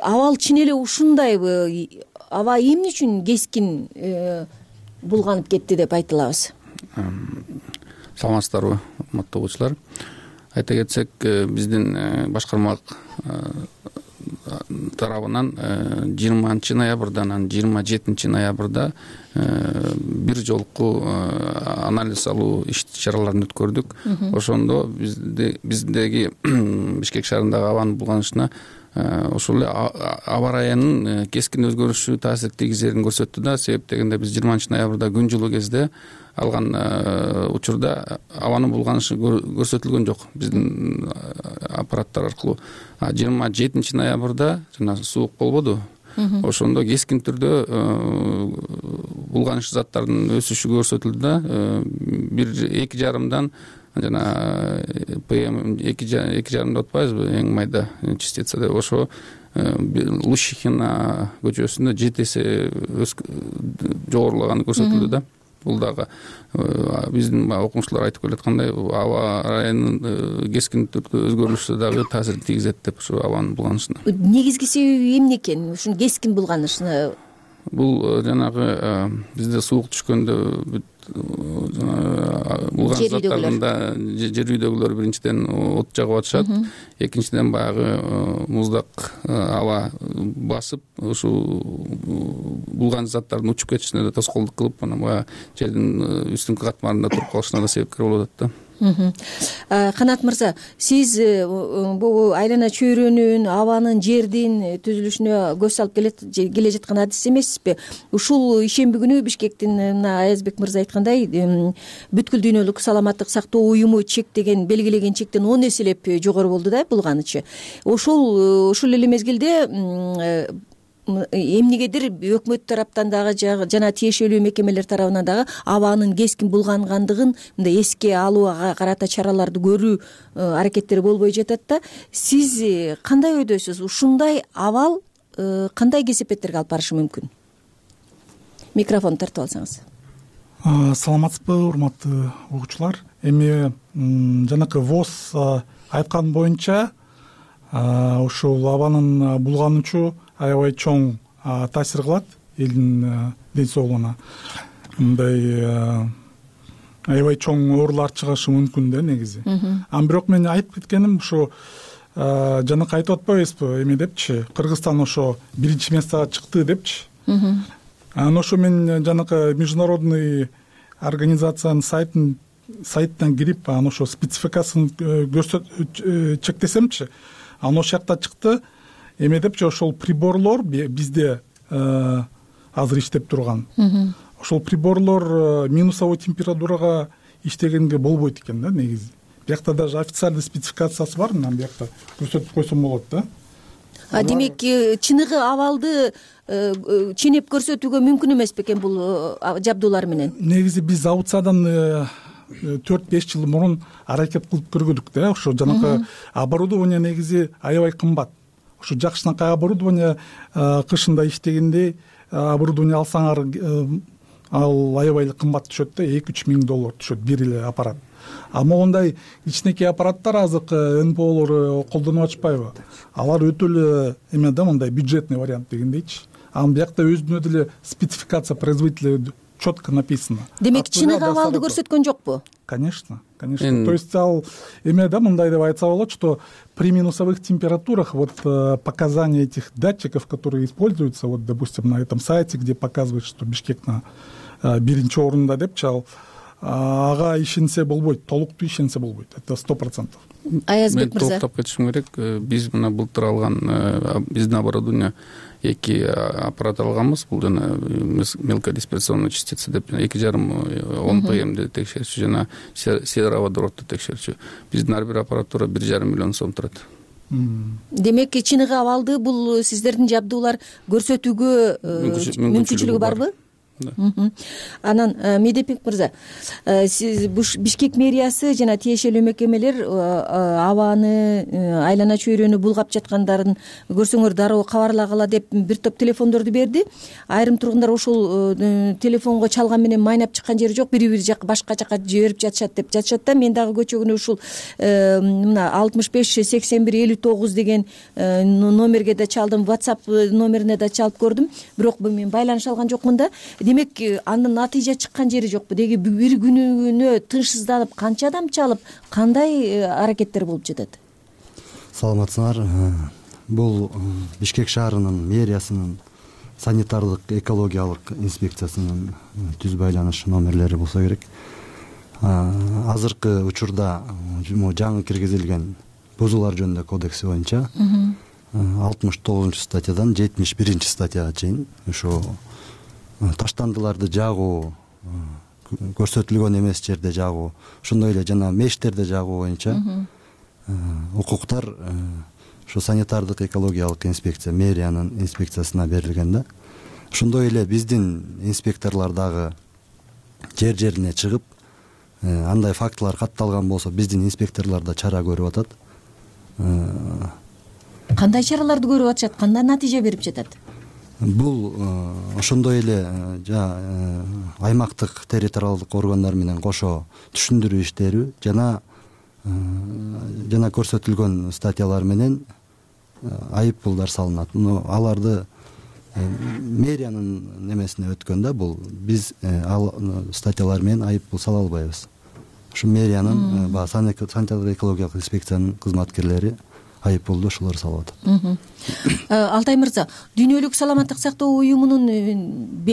Абал чын эле ушундайбы? Аба эмне үчүн кескин булганып кетти деп айта алабыз? Саламатсыздарбы, урматтуу угуучулар. Айта кетсек, биздин башкармалык тарабынан 20 ноябрдан 27 ноябрда бир жолку анализ алуу иш-чараларын өткөрдүк. Ошондо биздеги Бишкек шаарындагы абанын булганышына ошол эле аба ырайынын кескин өзгөрүшү таасир тийгизерин көрсөттү да. Себеп дегенде биз 20 ноябрда күн жылуу кезде алган учурда абанын булганышы көрсөтүлгөн жок биздин аппараттар аркылуу. 27 ноябрда жана суук болбоду. Ошондо кескин түрдө булганыш заттардын өсүшү көрсөтүлдү да. 1,2 жана ПМ 2,5 деп атпайбызбы, эң майда частица деп. Ошо Лущихина көчөсүндө 7 эсе жогорулаганы көрсөтүлдү да. Бул дагы биздин окумуштуулар айтып келаткандай аба ырайынын кескин түрдө өзгөрүлүшү дагы таасир тийгизет деп ушу абанын булганышына. Негизги себеби эмне экен ушун кескин булганышына? Бул жанагы бизде суук түшкөндө булган заттарында жер үйдөгүлөр биринчиден от жагып атышат, экинчиден баягы муздак аба басып ушул булган заттардын учуп кетишине да тоскоолдук кылып, анан баягы жердин үстүнкү катмарында туруп калышына да себепкер болуп атат да. Канат мырза, сиз бул айлана чөйрөнүн, абанын, жердин түзүлүшүнө көз салып келе жаткан адис эмессизби? Ушул ишемби күнү Бишкектин мына Аязбек мырза айткандай бүткүл дүйнөлүк саламаттык сактоо уюму чектеген, белгилеген чектен 10 эселеп жогору болду да булганычы. Ушул эле мезгилде эмнегедир өкмөт тараптан дагы жана тиешелүү мекемелер тарабынан дагы абанын кескин булгангандыгын мындай эске алууга карата чараларды көрүү аракеттери болбой жатат да. Сиз кандай ойдосуз? Ушундай абал кандай кесепеттерге алып барышы мүмкүн? Микрофон тартып алсаңыз. Саламатсызбы, урматтуу угуучулар. Эми жанакы ВОЗ айткан боюнча ушул абанын булганычу аябай чоң таасир кылат элдин ден соолугуна. Мындай аябай чоң оорулар чыгышы мүмкүн да негизи. Бирок мен айтып кеткеним ушу жанакы айтып атпайбызбы эме депчи, Кыргызстан ошо биринчи местага чыкты депчи. Анан ошо мен жанакы международный организациянын сайтынан кирип, анан ошо спецификасын чектесемчи, анан ошол жакта чыкты. Эме депчи, ошол приборлор бизде азыр иштеп турган. Ошол приборлор минусовой температурага иштегенге болбойт экен да негизи. Биякта даже официальный спецификациясы бар, анан биякта көрсөтүп койсом болот да. Демек, чыныгы абалды ченеп көрсөтүүгө мүмкүн эмес бекен бул жабдуулар менен? Негизи биз аукциядан 4-5 жыл мурун аракет кылып көргөдүк да. Ошо жанакы оборудование негизи аябай кымбат. ушу жакшынакай оборудование кышында иштегенде оборудование алсаңар ал аябай эле кымбат түшөт да, 2-3 миң доллар түшөт бир эле аппарат. А могундай кичинекей аппараттар азыркы НПОлор колдонуп атышпайбы? Алар өтө эле эме да, мындай бюджетный вариант дегендейчи. Анан биякта өзүнө деле спецификация производителя четко написано. Демек чыныгы абалды көрсөткөн жокпу? Конечно. То есть ал эме да, мындай деп айтса болот, что при минусовых температурах вот показания этих датчиков, которые используются, вот допустим на этом сайте, где показывают, что Бишкек на биринчи орунда депчи, ал ага ишенсе болбойт, толуктуу ишенсе болбойт. Это 100%. Аязбек мырза. Мен токтоп кетишим керек. Биз мына былтыр алган биздин оборудование 2 аппарат алганбыз. Бул жана мелкодисперсионный частица деп 2,5 ОМПМди текшерчү жана сероводородду текшерчү. Биздин ар бир аппаратура 1,5 миллион сом турат. Демек чыныгы абалды бул сиздердин жабдуулар көрсөтүүгө мүмкүнчүлүгү барбы? Анан Медепик мырза, сиз Бишкек мэриясы жана тиешелүү мекемелер абаны айлана чөйрөнү булгап жаткандарын көрсөңөр дароо кабарлагыла деп бир топ телефондорду берди. Айрым тургундар ошол телефонго чалган менен майнап чыккан жери жок, бири жак башка жака жиберип жатышат деп жатышат да. Мен дагы көчөгүнө ушул мына 65 81 59 деген номерге да чалдым, WhatsApp номерине да чалып көрдүм, бирок мен байланыша алган жокмун да. Демек андан натыйжа чыккан жери жокпу? Деги бир күнүнө тынчсызданып канча адам чалып, кандай аракеттер болуп жатат? Саламатсыңар. Бул Бишкек шаарынын мэриясынын санитардык экологиялык инспекциясынын түз байланыш номерлери болсо керек. Азыркы учурда жаңы киргизилген бузуулар жөнүндө кодекси боюнча 69-статьядан 71-статьяга чейин ушу таштандыларды жагуу, көрсөтүлгөн эмес жерде жагуу, ошондой эле жана мештерде жагуу боюнча укуктар ушу санитардык экологиялык инспекция мэриянын инспекциясына берилген да. Ошондой эле биздин инспекторлор дагы жер-жерине чыгып, андай фактылар катталган болсо биздин инспекторлор да чара көрүп атат. Кандай чараларды көрүп атышат, кандай натыйжа берип жатат? Бул ошондой эле аймактык территориалдык органдар менен кошо түшүндүрүү иштери жана көрсөтүлгөн статьялар менен айып пулдар салынат. Аларды мэриянын немесине өткөн да, бул биз ал статьялар менен айып пул сала албайбыз. Ушу мэриянын санитардык экологиялык инспекциянын кызматкерлери айып пулду ошолор салып атат. Алтай мырза, Дүйнөлүк саламаттык сактоо уюмунун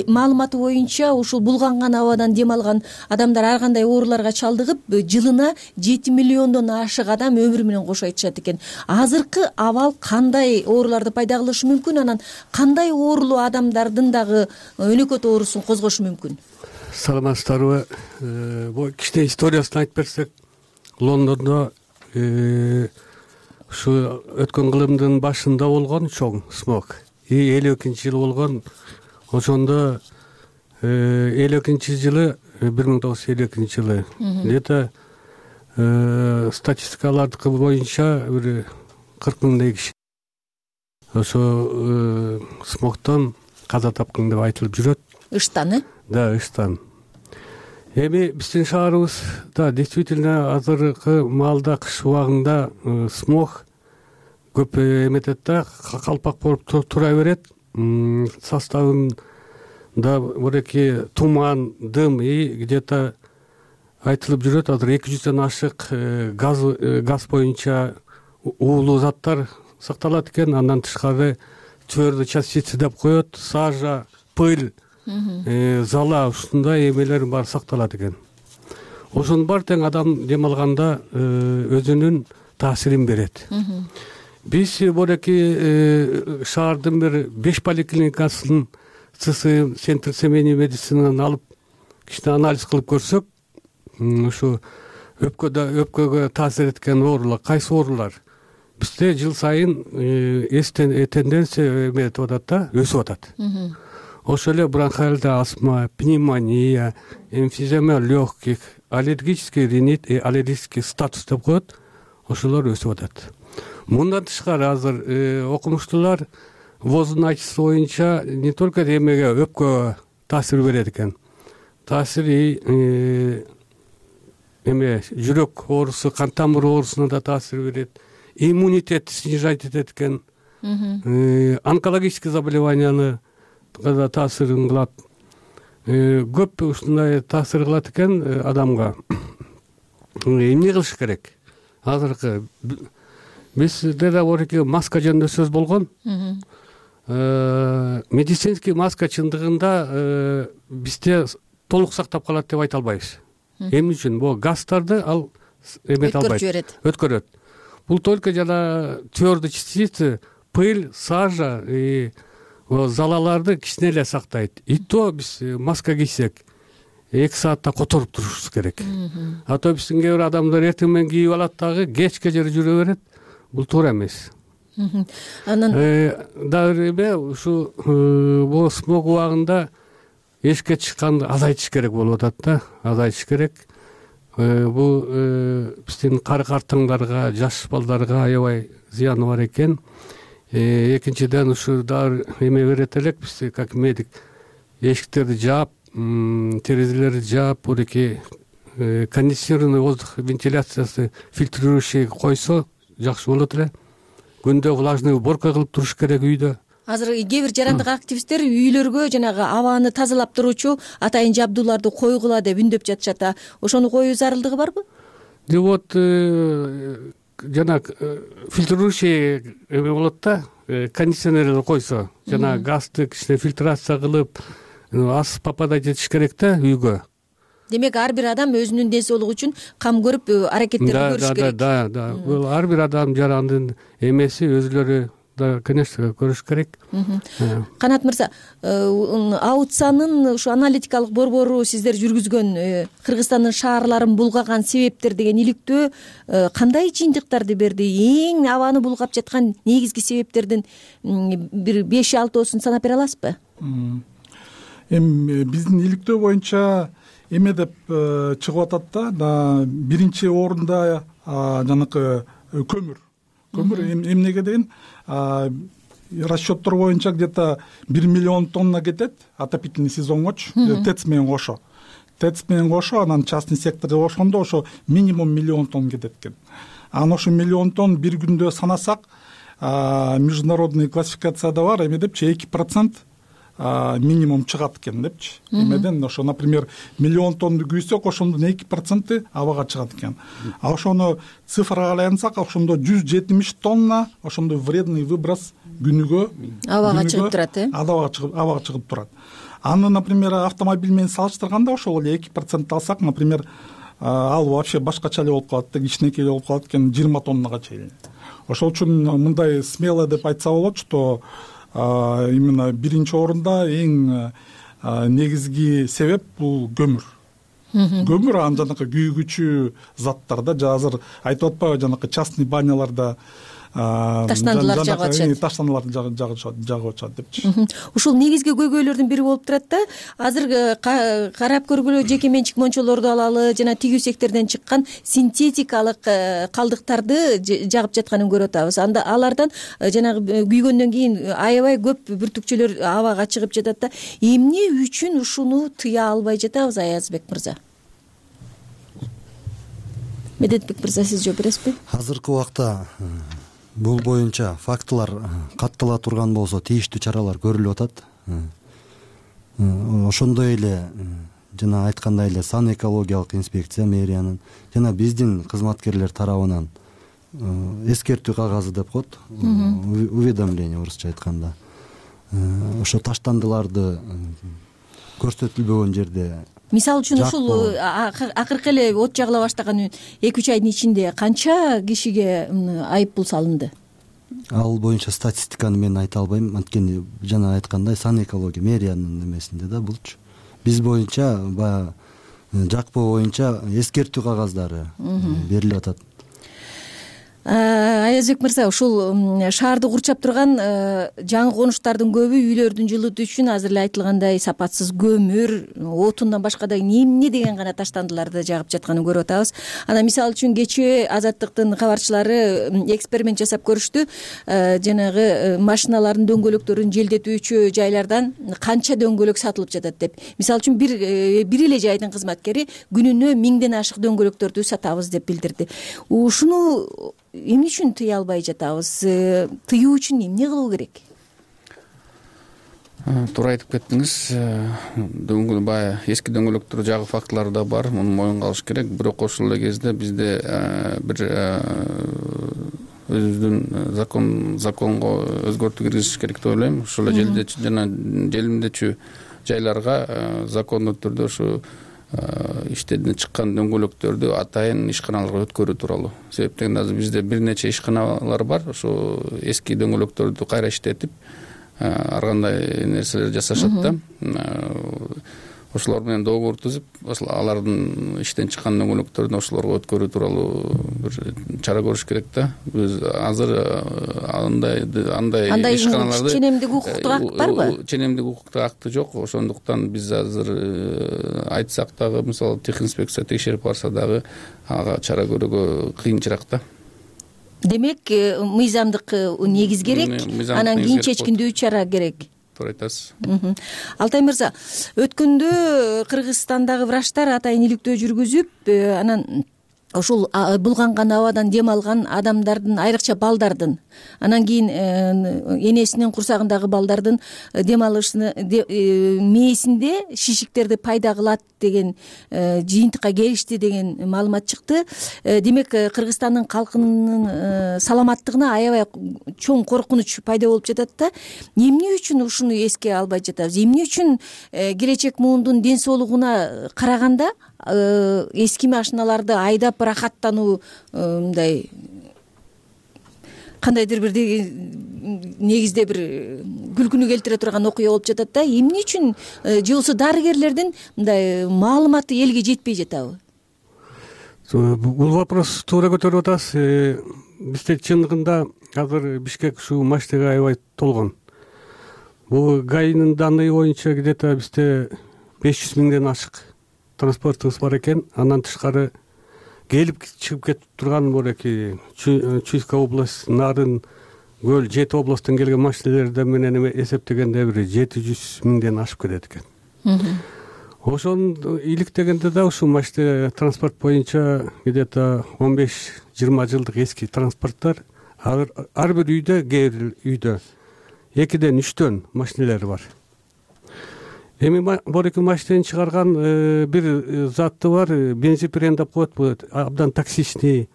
маалыматы боюнча ушул булганган абадан дем алган адамдар ар кандай ооруларга чалдыгып, жылына 7 миллиондон ашык адам өмүрү менен кош айтышат экен. Азыркы абал кандай ооруларды пайда кылышы мүмкүн, анан кандай оорулуу адамдардын дагы өнөкөт оорусун козгошу мүмкүн? Саламатсыздарбы? Бул кичине историясын айтып берсек, Лондондо ушу өткөн кылымдын башында болгон чоң смог. 52-жылы болгон. Ошондо 52-жылы 1952-жылы где-то статистикалардыкы боюнча бир 40 миңдей киши ошо смогтон каза тапкан деп айтылып жүрөт. Ыштан, Да, ыштан. Эми биздин шаарыбызда действительно азыркы маалда кыш убагында смог көп эметет да, калпак болуп тура берет. Составында бореки туман, дым и где-то айтылып жүрөт, азыр 200дөн ашык газ боюнча уулуу заттар сакталат экен. Андан тышкары твердый частицы деп коет, сажа, пыль, зала, ушундай эмелер баары сакталат экен. Ошонун баары тең адам дем алганда өзүнүн таасирин берет. Биз бореки шаардын бир 5 поликлиникасынын ЦСМ, Центр семейной медицинаны алып кичине анализ кылып көрсөк, ушу өпкөгө таасир эткен оорулар, кайсы оорулар? Бизде жыл сайын тенденция эметип атат да, өсүп атат. Ошол эле бронхиальдый астма, пневмония, эмфизема легких, аллергический ринит и аллергический статус деп коет, ошолор өсүп атат. мындан тышкары азыр окумуштуулар воздун ачысы боюнча не только эмеге өпкөгө таасир берет экен, таасири эме жүрөк оорусу, кан тамыр оорусуна да таасир берет, иммунитетти снижать этет экен, онкологический заболеванияны да таасирин кылат. Көп ушундай таасир кылат экен адамга. Эмне кылыш керек? Азыркы бизде да борки маска жөнүндө сөз болгон. Медицинский маска чындыгында бизде толук сактап калат деп айта албайбыз. Эмне үчүн? Бул газдарды ал эмете албайт, өткөрөт. Бул только жана твердый частицы, пыль, сажа и залаларды кичине эле сактайт. И то биз маска кийсек 2 саатта которуп турушубуз керек. А то биздин кээ бир адамдар эртең менен кийип алат дагы кечке жери жүрө берет. Бул туура эмес. Анан дагы эме ушу бул смог убагында эшикке чыкканды азайтыш керек болуп атат да, азайтыш керек. Бул биздин картаңдарга, жаш балдарга аябай зыяны бар экен. Экинчиден ушу дагы эме берет элек биз как медик эшиктерди жаап, терезелерди жаап, буреки кондиционированный воздух вентиляциясы фильтрирующий койсо жакшы болот эле. Күндө влажный уборка кылып туруш керек үйдө. Азыр кээ бир жарандык активисттер үйлөргө жанагы абаны тазалап туруучу атайын жабдууларды койгула деп үндөп жатышат. Ошону коюу зарылдыгы барбы? Вот жана фильтрирующий эме болот да, кондиционерлер койсо, жана газды кичине фильтрация кылып, аз попадать этиш керек да үйгө. Демек ар бир адам өзүнүн ден соолугу үчүн кам көрүп аракеттерди көрүш керек. Да. Бул ар бир адам жарандын эмеси өзүлөрү да, конечно, көрүш керек. Канат мырза, аутсанын ушу аналитикалык борбору сиздер жүргүзгөн Кыргызстандын шаарларын булгаган себептер деген иликтөө кандай жыйынтыктарды берди? Эң абаны булгап жаткан негизги себептердин бир 5-6 санап бере аласызбы? Эми биздин иликтөө боюнча эме деп чыгып атат да, биринчи орунда жанакы көмүр. Көмүр эмнеге деген расчеттор боюнча где-то 1 миллион тонна кетет отопительный сезонгочу, ТЭЦ менен кошо. ТЭЦ менен кошо, анан частный секторду кошкондо ошо минимум 1 миллион тонн кетет экен. Анан ошо 1 миллион тонн бир күндө санасак, международный классификацияда бар, эме депчи 2% минимум чыгат экен депчи. Эмеден ошо, например, 1 миллион тоннду күйсөк, ошондун 2% абага чыгат экен. А ошону цифрага айлансак, ошондо 170 тонна ошондой вредный выброс күнүгө абага чыгып турат, абага чыгып турат. Аны, например, автомобиль менен салыштырганда ошол эле 2% алсак, например, ал вообще башкача эле болуп калат да, кичинекей эле болуп калат экен, 20 тоннага чейин. Ошол үчүн мындай смело деп айтса болот, что именно биринчи орунда эң негизги себеп бул көмүр. Көмүр, анан жанакы күйгүчү заттар да, азыр айтып атпайбы, жанакы частный баняларда таштандылар жагып атышат. Таштандыларды жагып атышат депчи. Ушул негизги көйгөйлөрдүн бири болуп турат да. Азыр карап көргүлө жеке менчик мончолорду алалы, жана тигүү сектордон чыккан синтетикалык калдыктарды жагып жатканын көрүп атабыз. Анда алардан жанагы күйгөндөн кийин аябай көп бүртүкчөлөр абага чыгып жатат да. Эмне үчүн ушуну тыя албай жатабыз, Аязбек мырза? Медетбек мырза, сиз жооп бересизби? Азыркы убакта бул боюнча фактылар каттала турган болсо, тийиштүү чаралар көрүлүп атат. Ошондой эле жана айткандай эле сан экологиялык инспекция мэриянын жана биздин кызматкерлер тарабынан эскертүү кагазы деп коет, уведомление орусча айтканда. Ошо таштандыларды көрсөтүлбөгөн жерде, мисалы үчүн ушул акыркы эле от жагыла баштаган 2-3 айдын ичинде канча кишиге айып пул салынды? Ал боюнча статистиканы мен айта албайм, анткени жана айткандай сан экология мэриянын эмесинде да булчу. Биз боюнча баягы жакпоо боюнча эскертүү кагаздары берилип атат. Аязбек мырза, ушул шаарды курчап турган жаңы конуштардын көбү үйлөрдүн жылытуу үчүн азыр эле айтылгандай сапатсыз көмүр, отундан башка да эмне деген гана таштандыларды жагып жатканын көрүп атабыз. Анан мисалы үчүн кечээ Азаттыктын кабарчылары эксперимент жасап көрүштү. Жанагы машиналардын дөңгөлөктөрүн желдетүүчү жайлардан канча дөңгөлөк сатылып жатат деп. Мисалы үчүн бир эле жайдын кызматкери күнүнө 1000ден ашык дөңгөлөктөрдү сатабыз деп билдирди. Ушуну эмне үчүн тыя албай жатабыз? Тыюу үчүн эмне кылуу керек? Туура айтып кеттиңиз. Баягы эски дөңгөлөктөр жагуу фактылары да бар, муну моюнга алыш керек. Бирок ошол эле кезде бизде бир өзүбүздүн законго өзгөртүү киргизиш керек деп ойлойм. Ошол эле желимдечү жайларга закондуу түрдө ушу иштеден чыккан дөңгөлөктөрдү атайын ишканаларга өткөрүү тууралуу. Себеп дегенде азыр бизде бир нече ишканалар бар. Ошо эски дөңгөлөктөрдү кайра иштетип, ар кандай нерселер жасашат да. Ошолор менен договор түзүп, алардын иштен чыккан дөңгөлөктөрдүн ошолорго өткөрүү тууралуу бир чара көрүш керек да. Биз азыр андай ишканаларды ченемдик укуктук акт барбы? Ченемдик укуктук акты жок. Ошондуктан биз азыр айтсак дагы, мисалы техинспекция текшерип барса дагы ага чара көрүүгө кыйынчыраак да. Демек, мыйзамдык негиз керек, анан кийин чечкиндүү чара керек. Туура айтасыз. Алтай мырза, өткөндө Кыргызстандагы врачтар атайын иликтөө жүргүзүп, анан ушул булганган абадан дем алган адамдардын, айрыкча балдардын, анан кийин энесинин курсагындагы балдардын дем алышыны мээсинде шишиктерди пайда кылат деген жыйынтыкка келишти деген маалымат чыкты. Демек, Кыргызстандын калкынын саламаттыгына аябай чоң коркунуч пайда болуп жатат да. Эмне үчүн ушуну эске албай жатабыз? Эмне үчүн келечек муундун ден соолугуна караганда эски машиналарды айдап рахаттануу мындай кандайдыр бир негизде бир күлкүнү келтире турган окуя болуп жатат да. Эмне үчүн же болбосо дарыгерлердин мындай маалыматы элге жетпей жатабы? Бул вопрос туура көтөрүп атасыз. Бизде чындыгында азыр Бишкек ушул машинага аябай толгон. Бул ГАИнын данные боюнча где-то бизде 500 миңден ашык транспортубуз бар экен. Андан тышкары келип чыгып кетип турган мореки Чуйская область, Нарын, Көл, 7 областтан келген машиналерди менен эсептегенде бир 700 миңден ашып кетет экен. Ошону иликтегенде да ушул машина транспорт боюнча где-то 15-20 жылдык эски транспорттор ар бир үйдө, кээ бир үйдө 2-3 машиналер бар. Эми бореки машинени чыгарган бир заты бар, бензопирен деп коет, бул абдан токсичный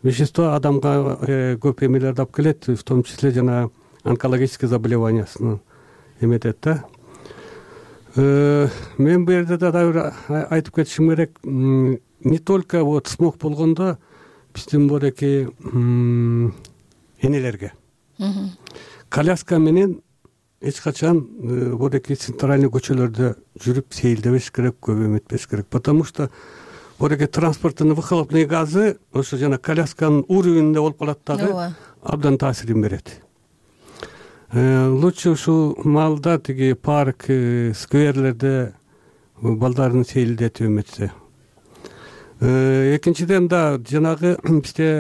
вещество, адамга көп эмелерди алып келет, в том числе жана онкологический заболеваниясын эметет да. Мен бул жерде дагы айтып кетишим керек, не только вот смог болгондо биздин бореки энелерге коляска менен эч качан бореки центральный көчөлөрдө жүрүп сейилдебеш керек, көп эметпеш керек, потому что бореки транспорттун выхлопный газы ошо жана колясканын уровенинде болуп калат дагы, абдан таасирин берет. Лучше ушул маалда тиги парк, скверлерде балдарын сейилдетип эметсе. Экинчиден да жанагы бизде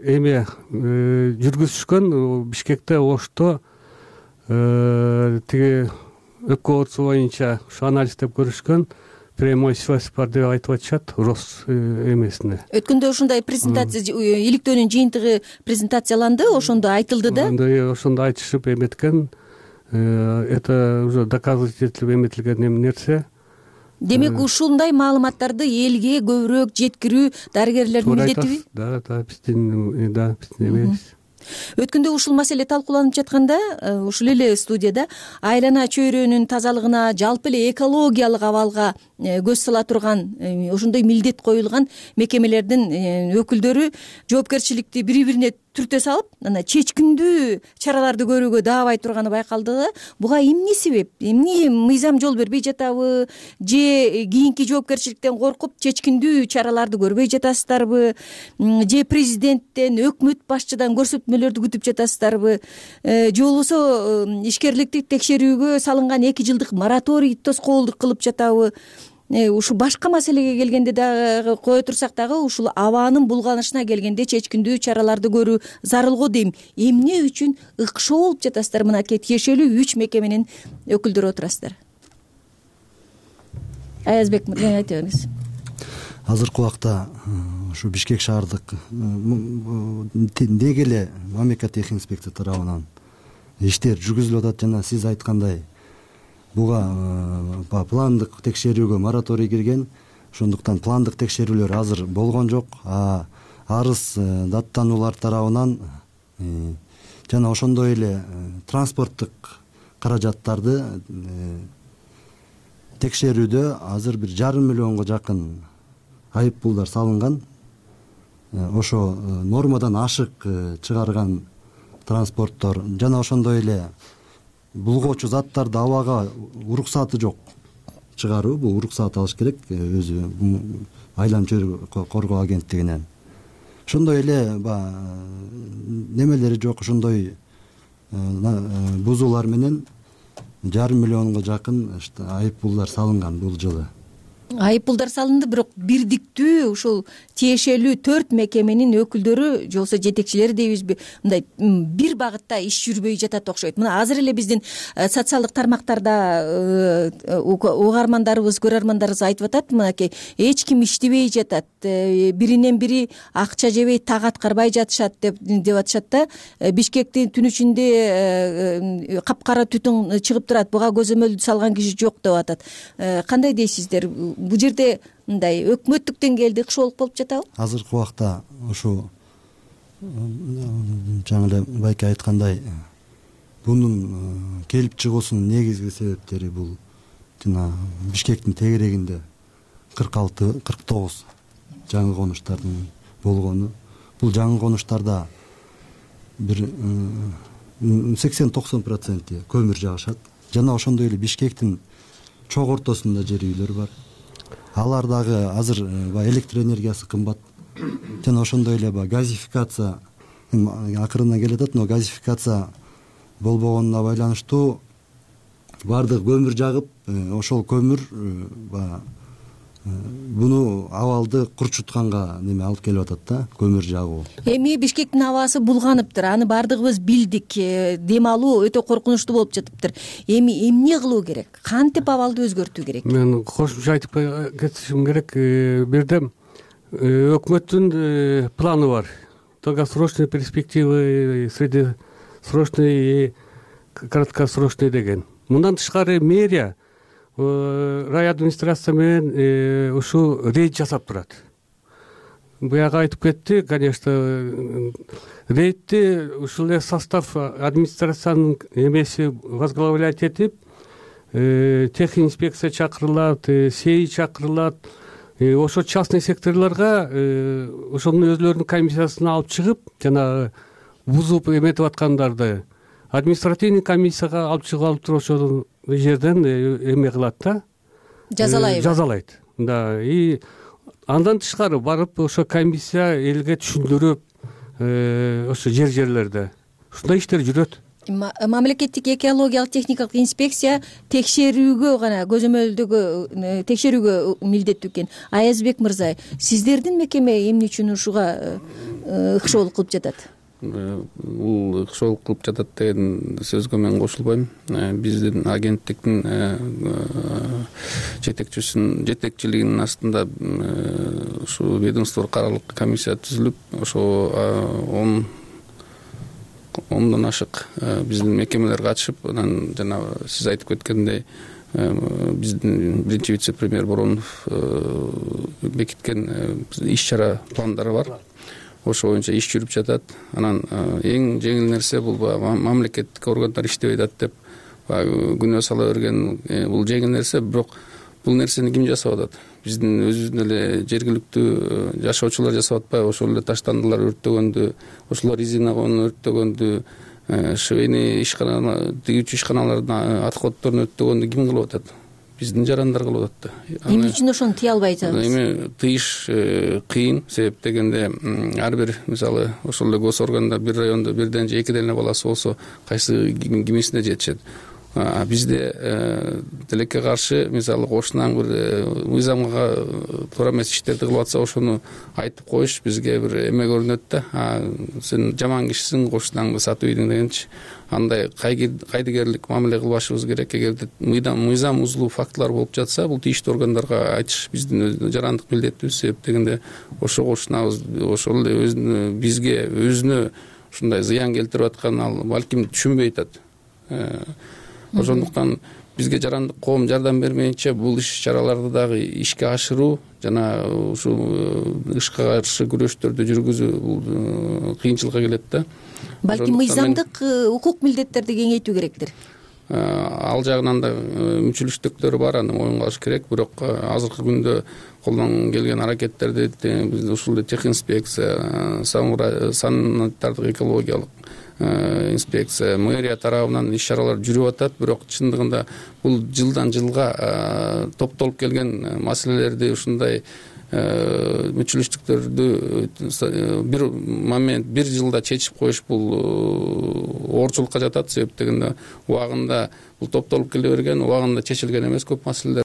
эме жүргүзүшкөн Бишкекте, Ошто тиги өкө боюнча ушу анализдеп көрүшкөн прямой связь бар деп айтып атышат Рос эмесине. Өткөндө ушундай презентация, иликтөөнүн жыйынтыгы презентацияланды, ошондо айтылды да. Ошондо айтышып эметкен, это уже доказывать этилип эметилген нерсе. Демек, ушундай маалыматтарды элге көбүрөөк жеткирүү дарыгерлердин милдетиби? Да, биздин эмес. Өткөндө ушул маселе талкууланып жатканда, ушул эле студияда айлана чөйрөнүн тазалыгына, жалпы эле экологиялык абалга көз сала турган ошондой милдет коюлган мекемелердин өкүлдөрү жоопкерчиликти бири-бирине түртө салып анан чечкиндүү чараларды көрүүгө даабай турганы байкалды. Буга эмне себеп? Эмне мыйзам жол бербей жатабы же кийинки жоопкерчиликтен коркуп чечкиндүү чараларды көрбөй жатасыздарбы же президенттен, өкмөт башчыдан көрсөтмөлөрдү күтүп жатасыздарбы же болбосо ишкерликти текшерүүгө салынган 2 жылдык мораторий тоскоолдук кылып жатабы? Ушу башка маселеге келгенде дагы кое турсак дагы ушул абанын булганышына келгенде чечкиндүү чараларды көрүү зарыл го дейм. Эмне үчүн ыкшоо болуп жатасыздар? Мынакей тиешелүү 3 мекеменин өкүлдөрү отурасыздар. Аязбек мырза айта бериңиз. Азыркы убакта ушу Бишкек шаардык деги эле мамлекеттик техник инспекция тарабынан иштер жүргүзүлүп атат жана сиз айткандай буга пландык текшерүүгө мораторий кирген. Ошондуктан пландык текшерүүлөр азыр болгон жок. Арыз даттануулар тарабынан жана ошондой эле транспорттук каражаттарды текшерүүдө азыр 1,5 миллионго жакын айып пулдар салынган. Ошо нормадан ашык чыгарган транспорттор жана ошондой эле булгоочу заттарды абага уруксаты жок чыгаруу. Бул уруксат алыш керек өзү айламчы коргоо агенттигинен. Ошондой эле немелери жок, ошондой бузуулар менен 1,5 миллионго жакын айып пулдар салынган бул жылы. Айып пулдар салынды, бирок бирдиктүү ушул тиешелүү 4 мекеменин өкүлдөрү же болбосо жетекчилери дейбизби, мындай бир багытта иш жүрбөй жатат окшойт. Мына азыр эле биздин социалдык тармактарда угармандарыбыз, көрөрмандарыбыз айтып атат, мынакей эч ким иштебей жатат, биринен бири акча жебей так аткарбай жатышат деп атышат да. Бишкектин түн ичинде капкара түтүн чыгып турат, буга көзөмөл салган киши жок деп атат. Кандай дейсиздер? Бул жерде мындай өкмөттүк деңгээлде ыкшоолук болуп жатабы? Азыркы убакта ушу жаңы эле байке айткандай бунун келип чыгуусунун негизги себептери бул жана Бишкектин тегерегинде 46-49 жаңы конуштардын болгону. Бул жаңы конуштарда бир 80-90% көмүр жагышат. Жана ошондой эле Бишкектин чок ортосунда жер үйлөр бар. Алар дагы азыр электр энергиясы кымбат. Жана ошондой эле газификация акырына келатат, но газификация болбогонуна байланыштуу баардык көмүр жагып, ошол көмүр буну абалды курчутканга неме алып келип атат да, көмүр жагуу. Эми Бишкектин абасы булганыптыр, аны баардыгыбыз билдик. Дем алуу өтө коркунучтуу болуп жатыптыр. Эми эмне кылуу керек? Кантип абалды өзгөртүү керек? Мен кошумча айтып кетишим керек. Бирдем өкмөттүн планы бар. Долгосрочные перспективы, среднесрочный и краткосрочный деген. Мындан тышкары мэрия рай администрация менен ушу рейд жасап турат. Буяга айтып кетти, конечно, рейдти ушул эле состав администрациянын эмеси возглавлять этип, техник инспекция чакырылат, СЕИ чакырылат. Ошо частный секторлорго ошонун өзлөрүнүн комиссиясына алып чыгып, жана бузуп эметип аткандарды административный комиссияга алып чыгып алып туруп ошол жерден эме кылат да, жазалайт. Да, и андан тышкары барып ошо комиссия элге түшүндүрүп, ошо жерлерде ушундай иштер жүрөт. Мамлекеттик экологиялык техникалык инспекция текшерүүгө гана, көзөмөлдөгө текшерүүгө милдеттүү экен. Аязбек мырза, сиздердин мекеме эмне үчүн ушуга ыкшоолук кылып жатат? Бул ыкшоолук кылып жатат деген сөзгө мен кошулбойм. Биздин агенттиктин жетекчилигинин астында ушу ведомстволук аралык комиссия түзүлүп, ошо 10дон ашык биздин мекемелер катышып, анан жана сиз айтып кеткендей биздин биринчи вице-премьер Боронов бекиткен иш чара пландары бар. Ошо боюнча иш жүрүп жатат. Анан эң жеңил нерсе бул мамлекеттик органдар иштебей атат деп күнөө сала берген бул жеңил нерсе, бирок бул нерсени ким жасап атат? Биздин өзүбүздүн эле жергиликтүү жашоочулар жасап атпайбы? Ошол эле таштандылар өрттөгөндү, ошолор резина өрттөгөндү, швейный ишкана, тигүүчү ишканалардын отходдорун өрттөгөндү ким кылып атат? Биздин жарандар кылып атат да. Эмне үчүн ошону тыя албай жатабыз? Эми тыйыш кыйын, себеп дегенде ар бир мисалы ошол эле госорганда бир райондо бирден же экиден эле баласы болсо кайсы кимисине жетишет. Бизде тилекке каршы мисалы кошунан бир мыйзамга туура эмес иштерди кылып атса, ошону айтып коюш бизге бир эме көрүнөт да. Сен жаман кишисиң, кошунаңды сатып ийдиң дегенчи. Андай кайдыгерлик мамиле кылбашыбыз керек. Эгерде мыйзам узулуу фактылар болуп жатса, бул тийиштүү органдарга айтыш биздин жарандык милдетибиз. Себеп дегенде ошого кошунабыз, ошол эле бизге өзүнө ушундай зыян келтирип атканын ал балким түшүнбөй атат. Ошондуктан бизге жарандык коом жардам бермейинче бул иш-чараларды дагы ишке ашыруу жана ушул ышка каршы күрөштөрдү жүргүзүү бул кыйынчылыкка келет да. Балким мыйзамдык укук милдеттерди кеңейтүү керектир. Ал жагынан да мүчүлүштүктөрү бар, аны моюнга алыш керек. Бирок азыркы күндө колдон келген аракеттерди биз ушул техинспекция, санитардык экологиялык инспекция, мэрия тарабынан иш-чаралар жүрүп атат. Бирок чындыгында бул жылдан жылга топтолуп келген маселелерди, ушундай мүчүлүштүктөрдү бир жылда чечип коюш бул оорчулукка жатат. Себеп дегенде убагында бул топтолуп келе берген, убагында чечилген эмес көп маселелер.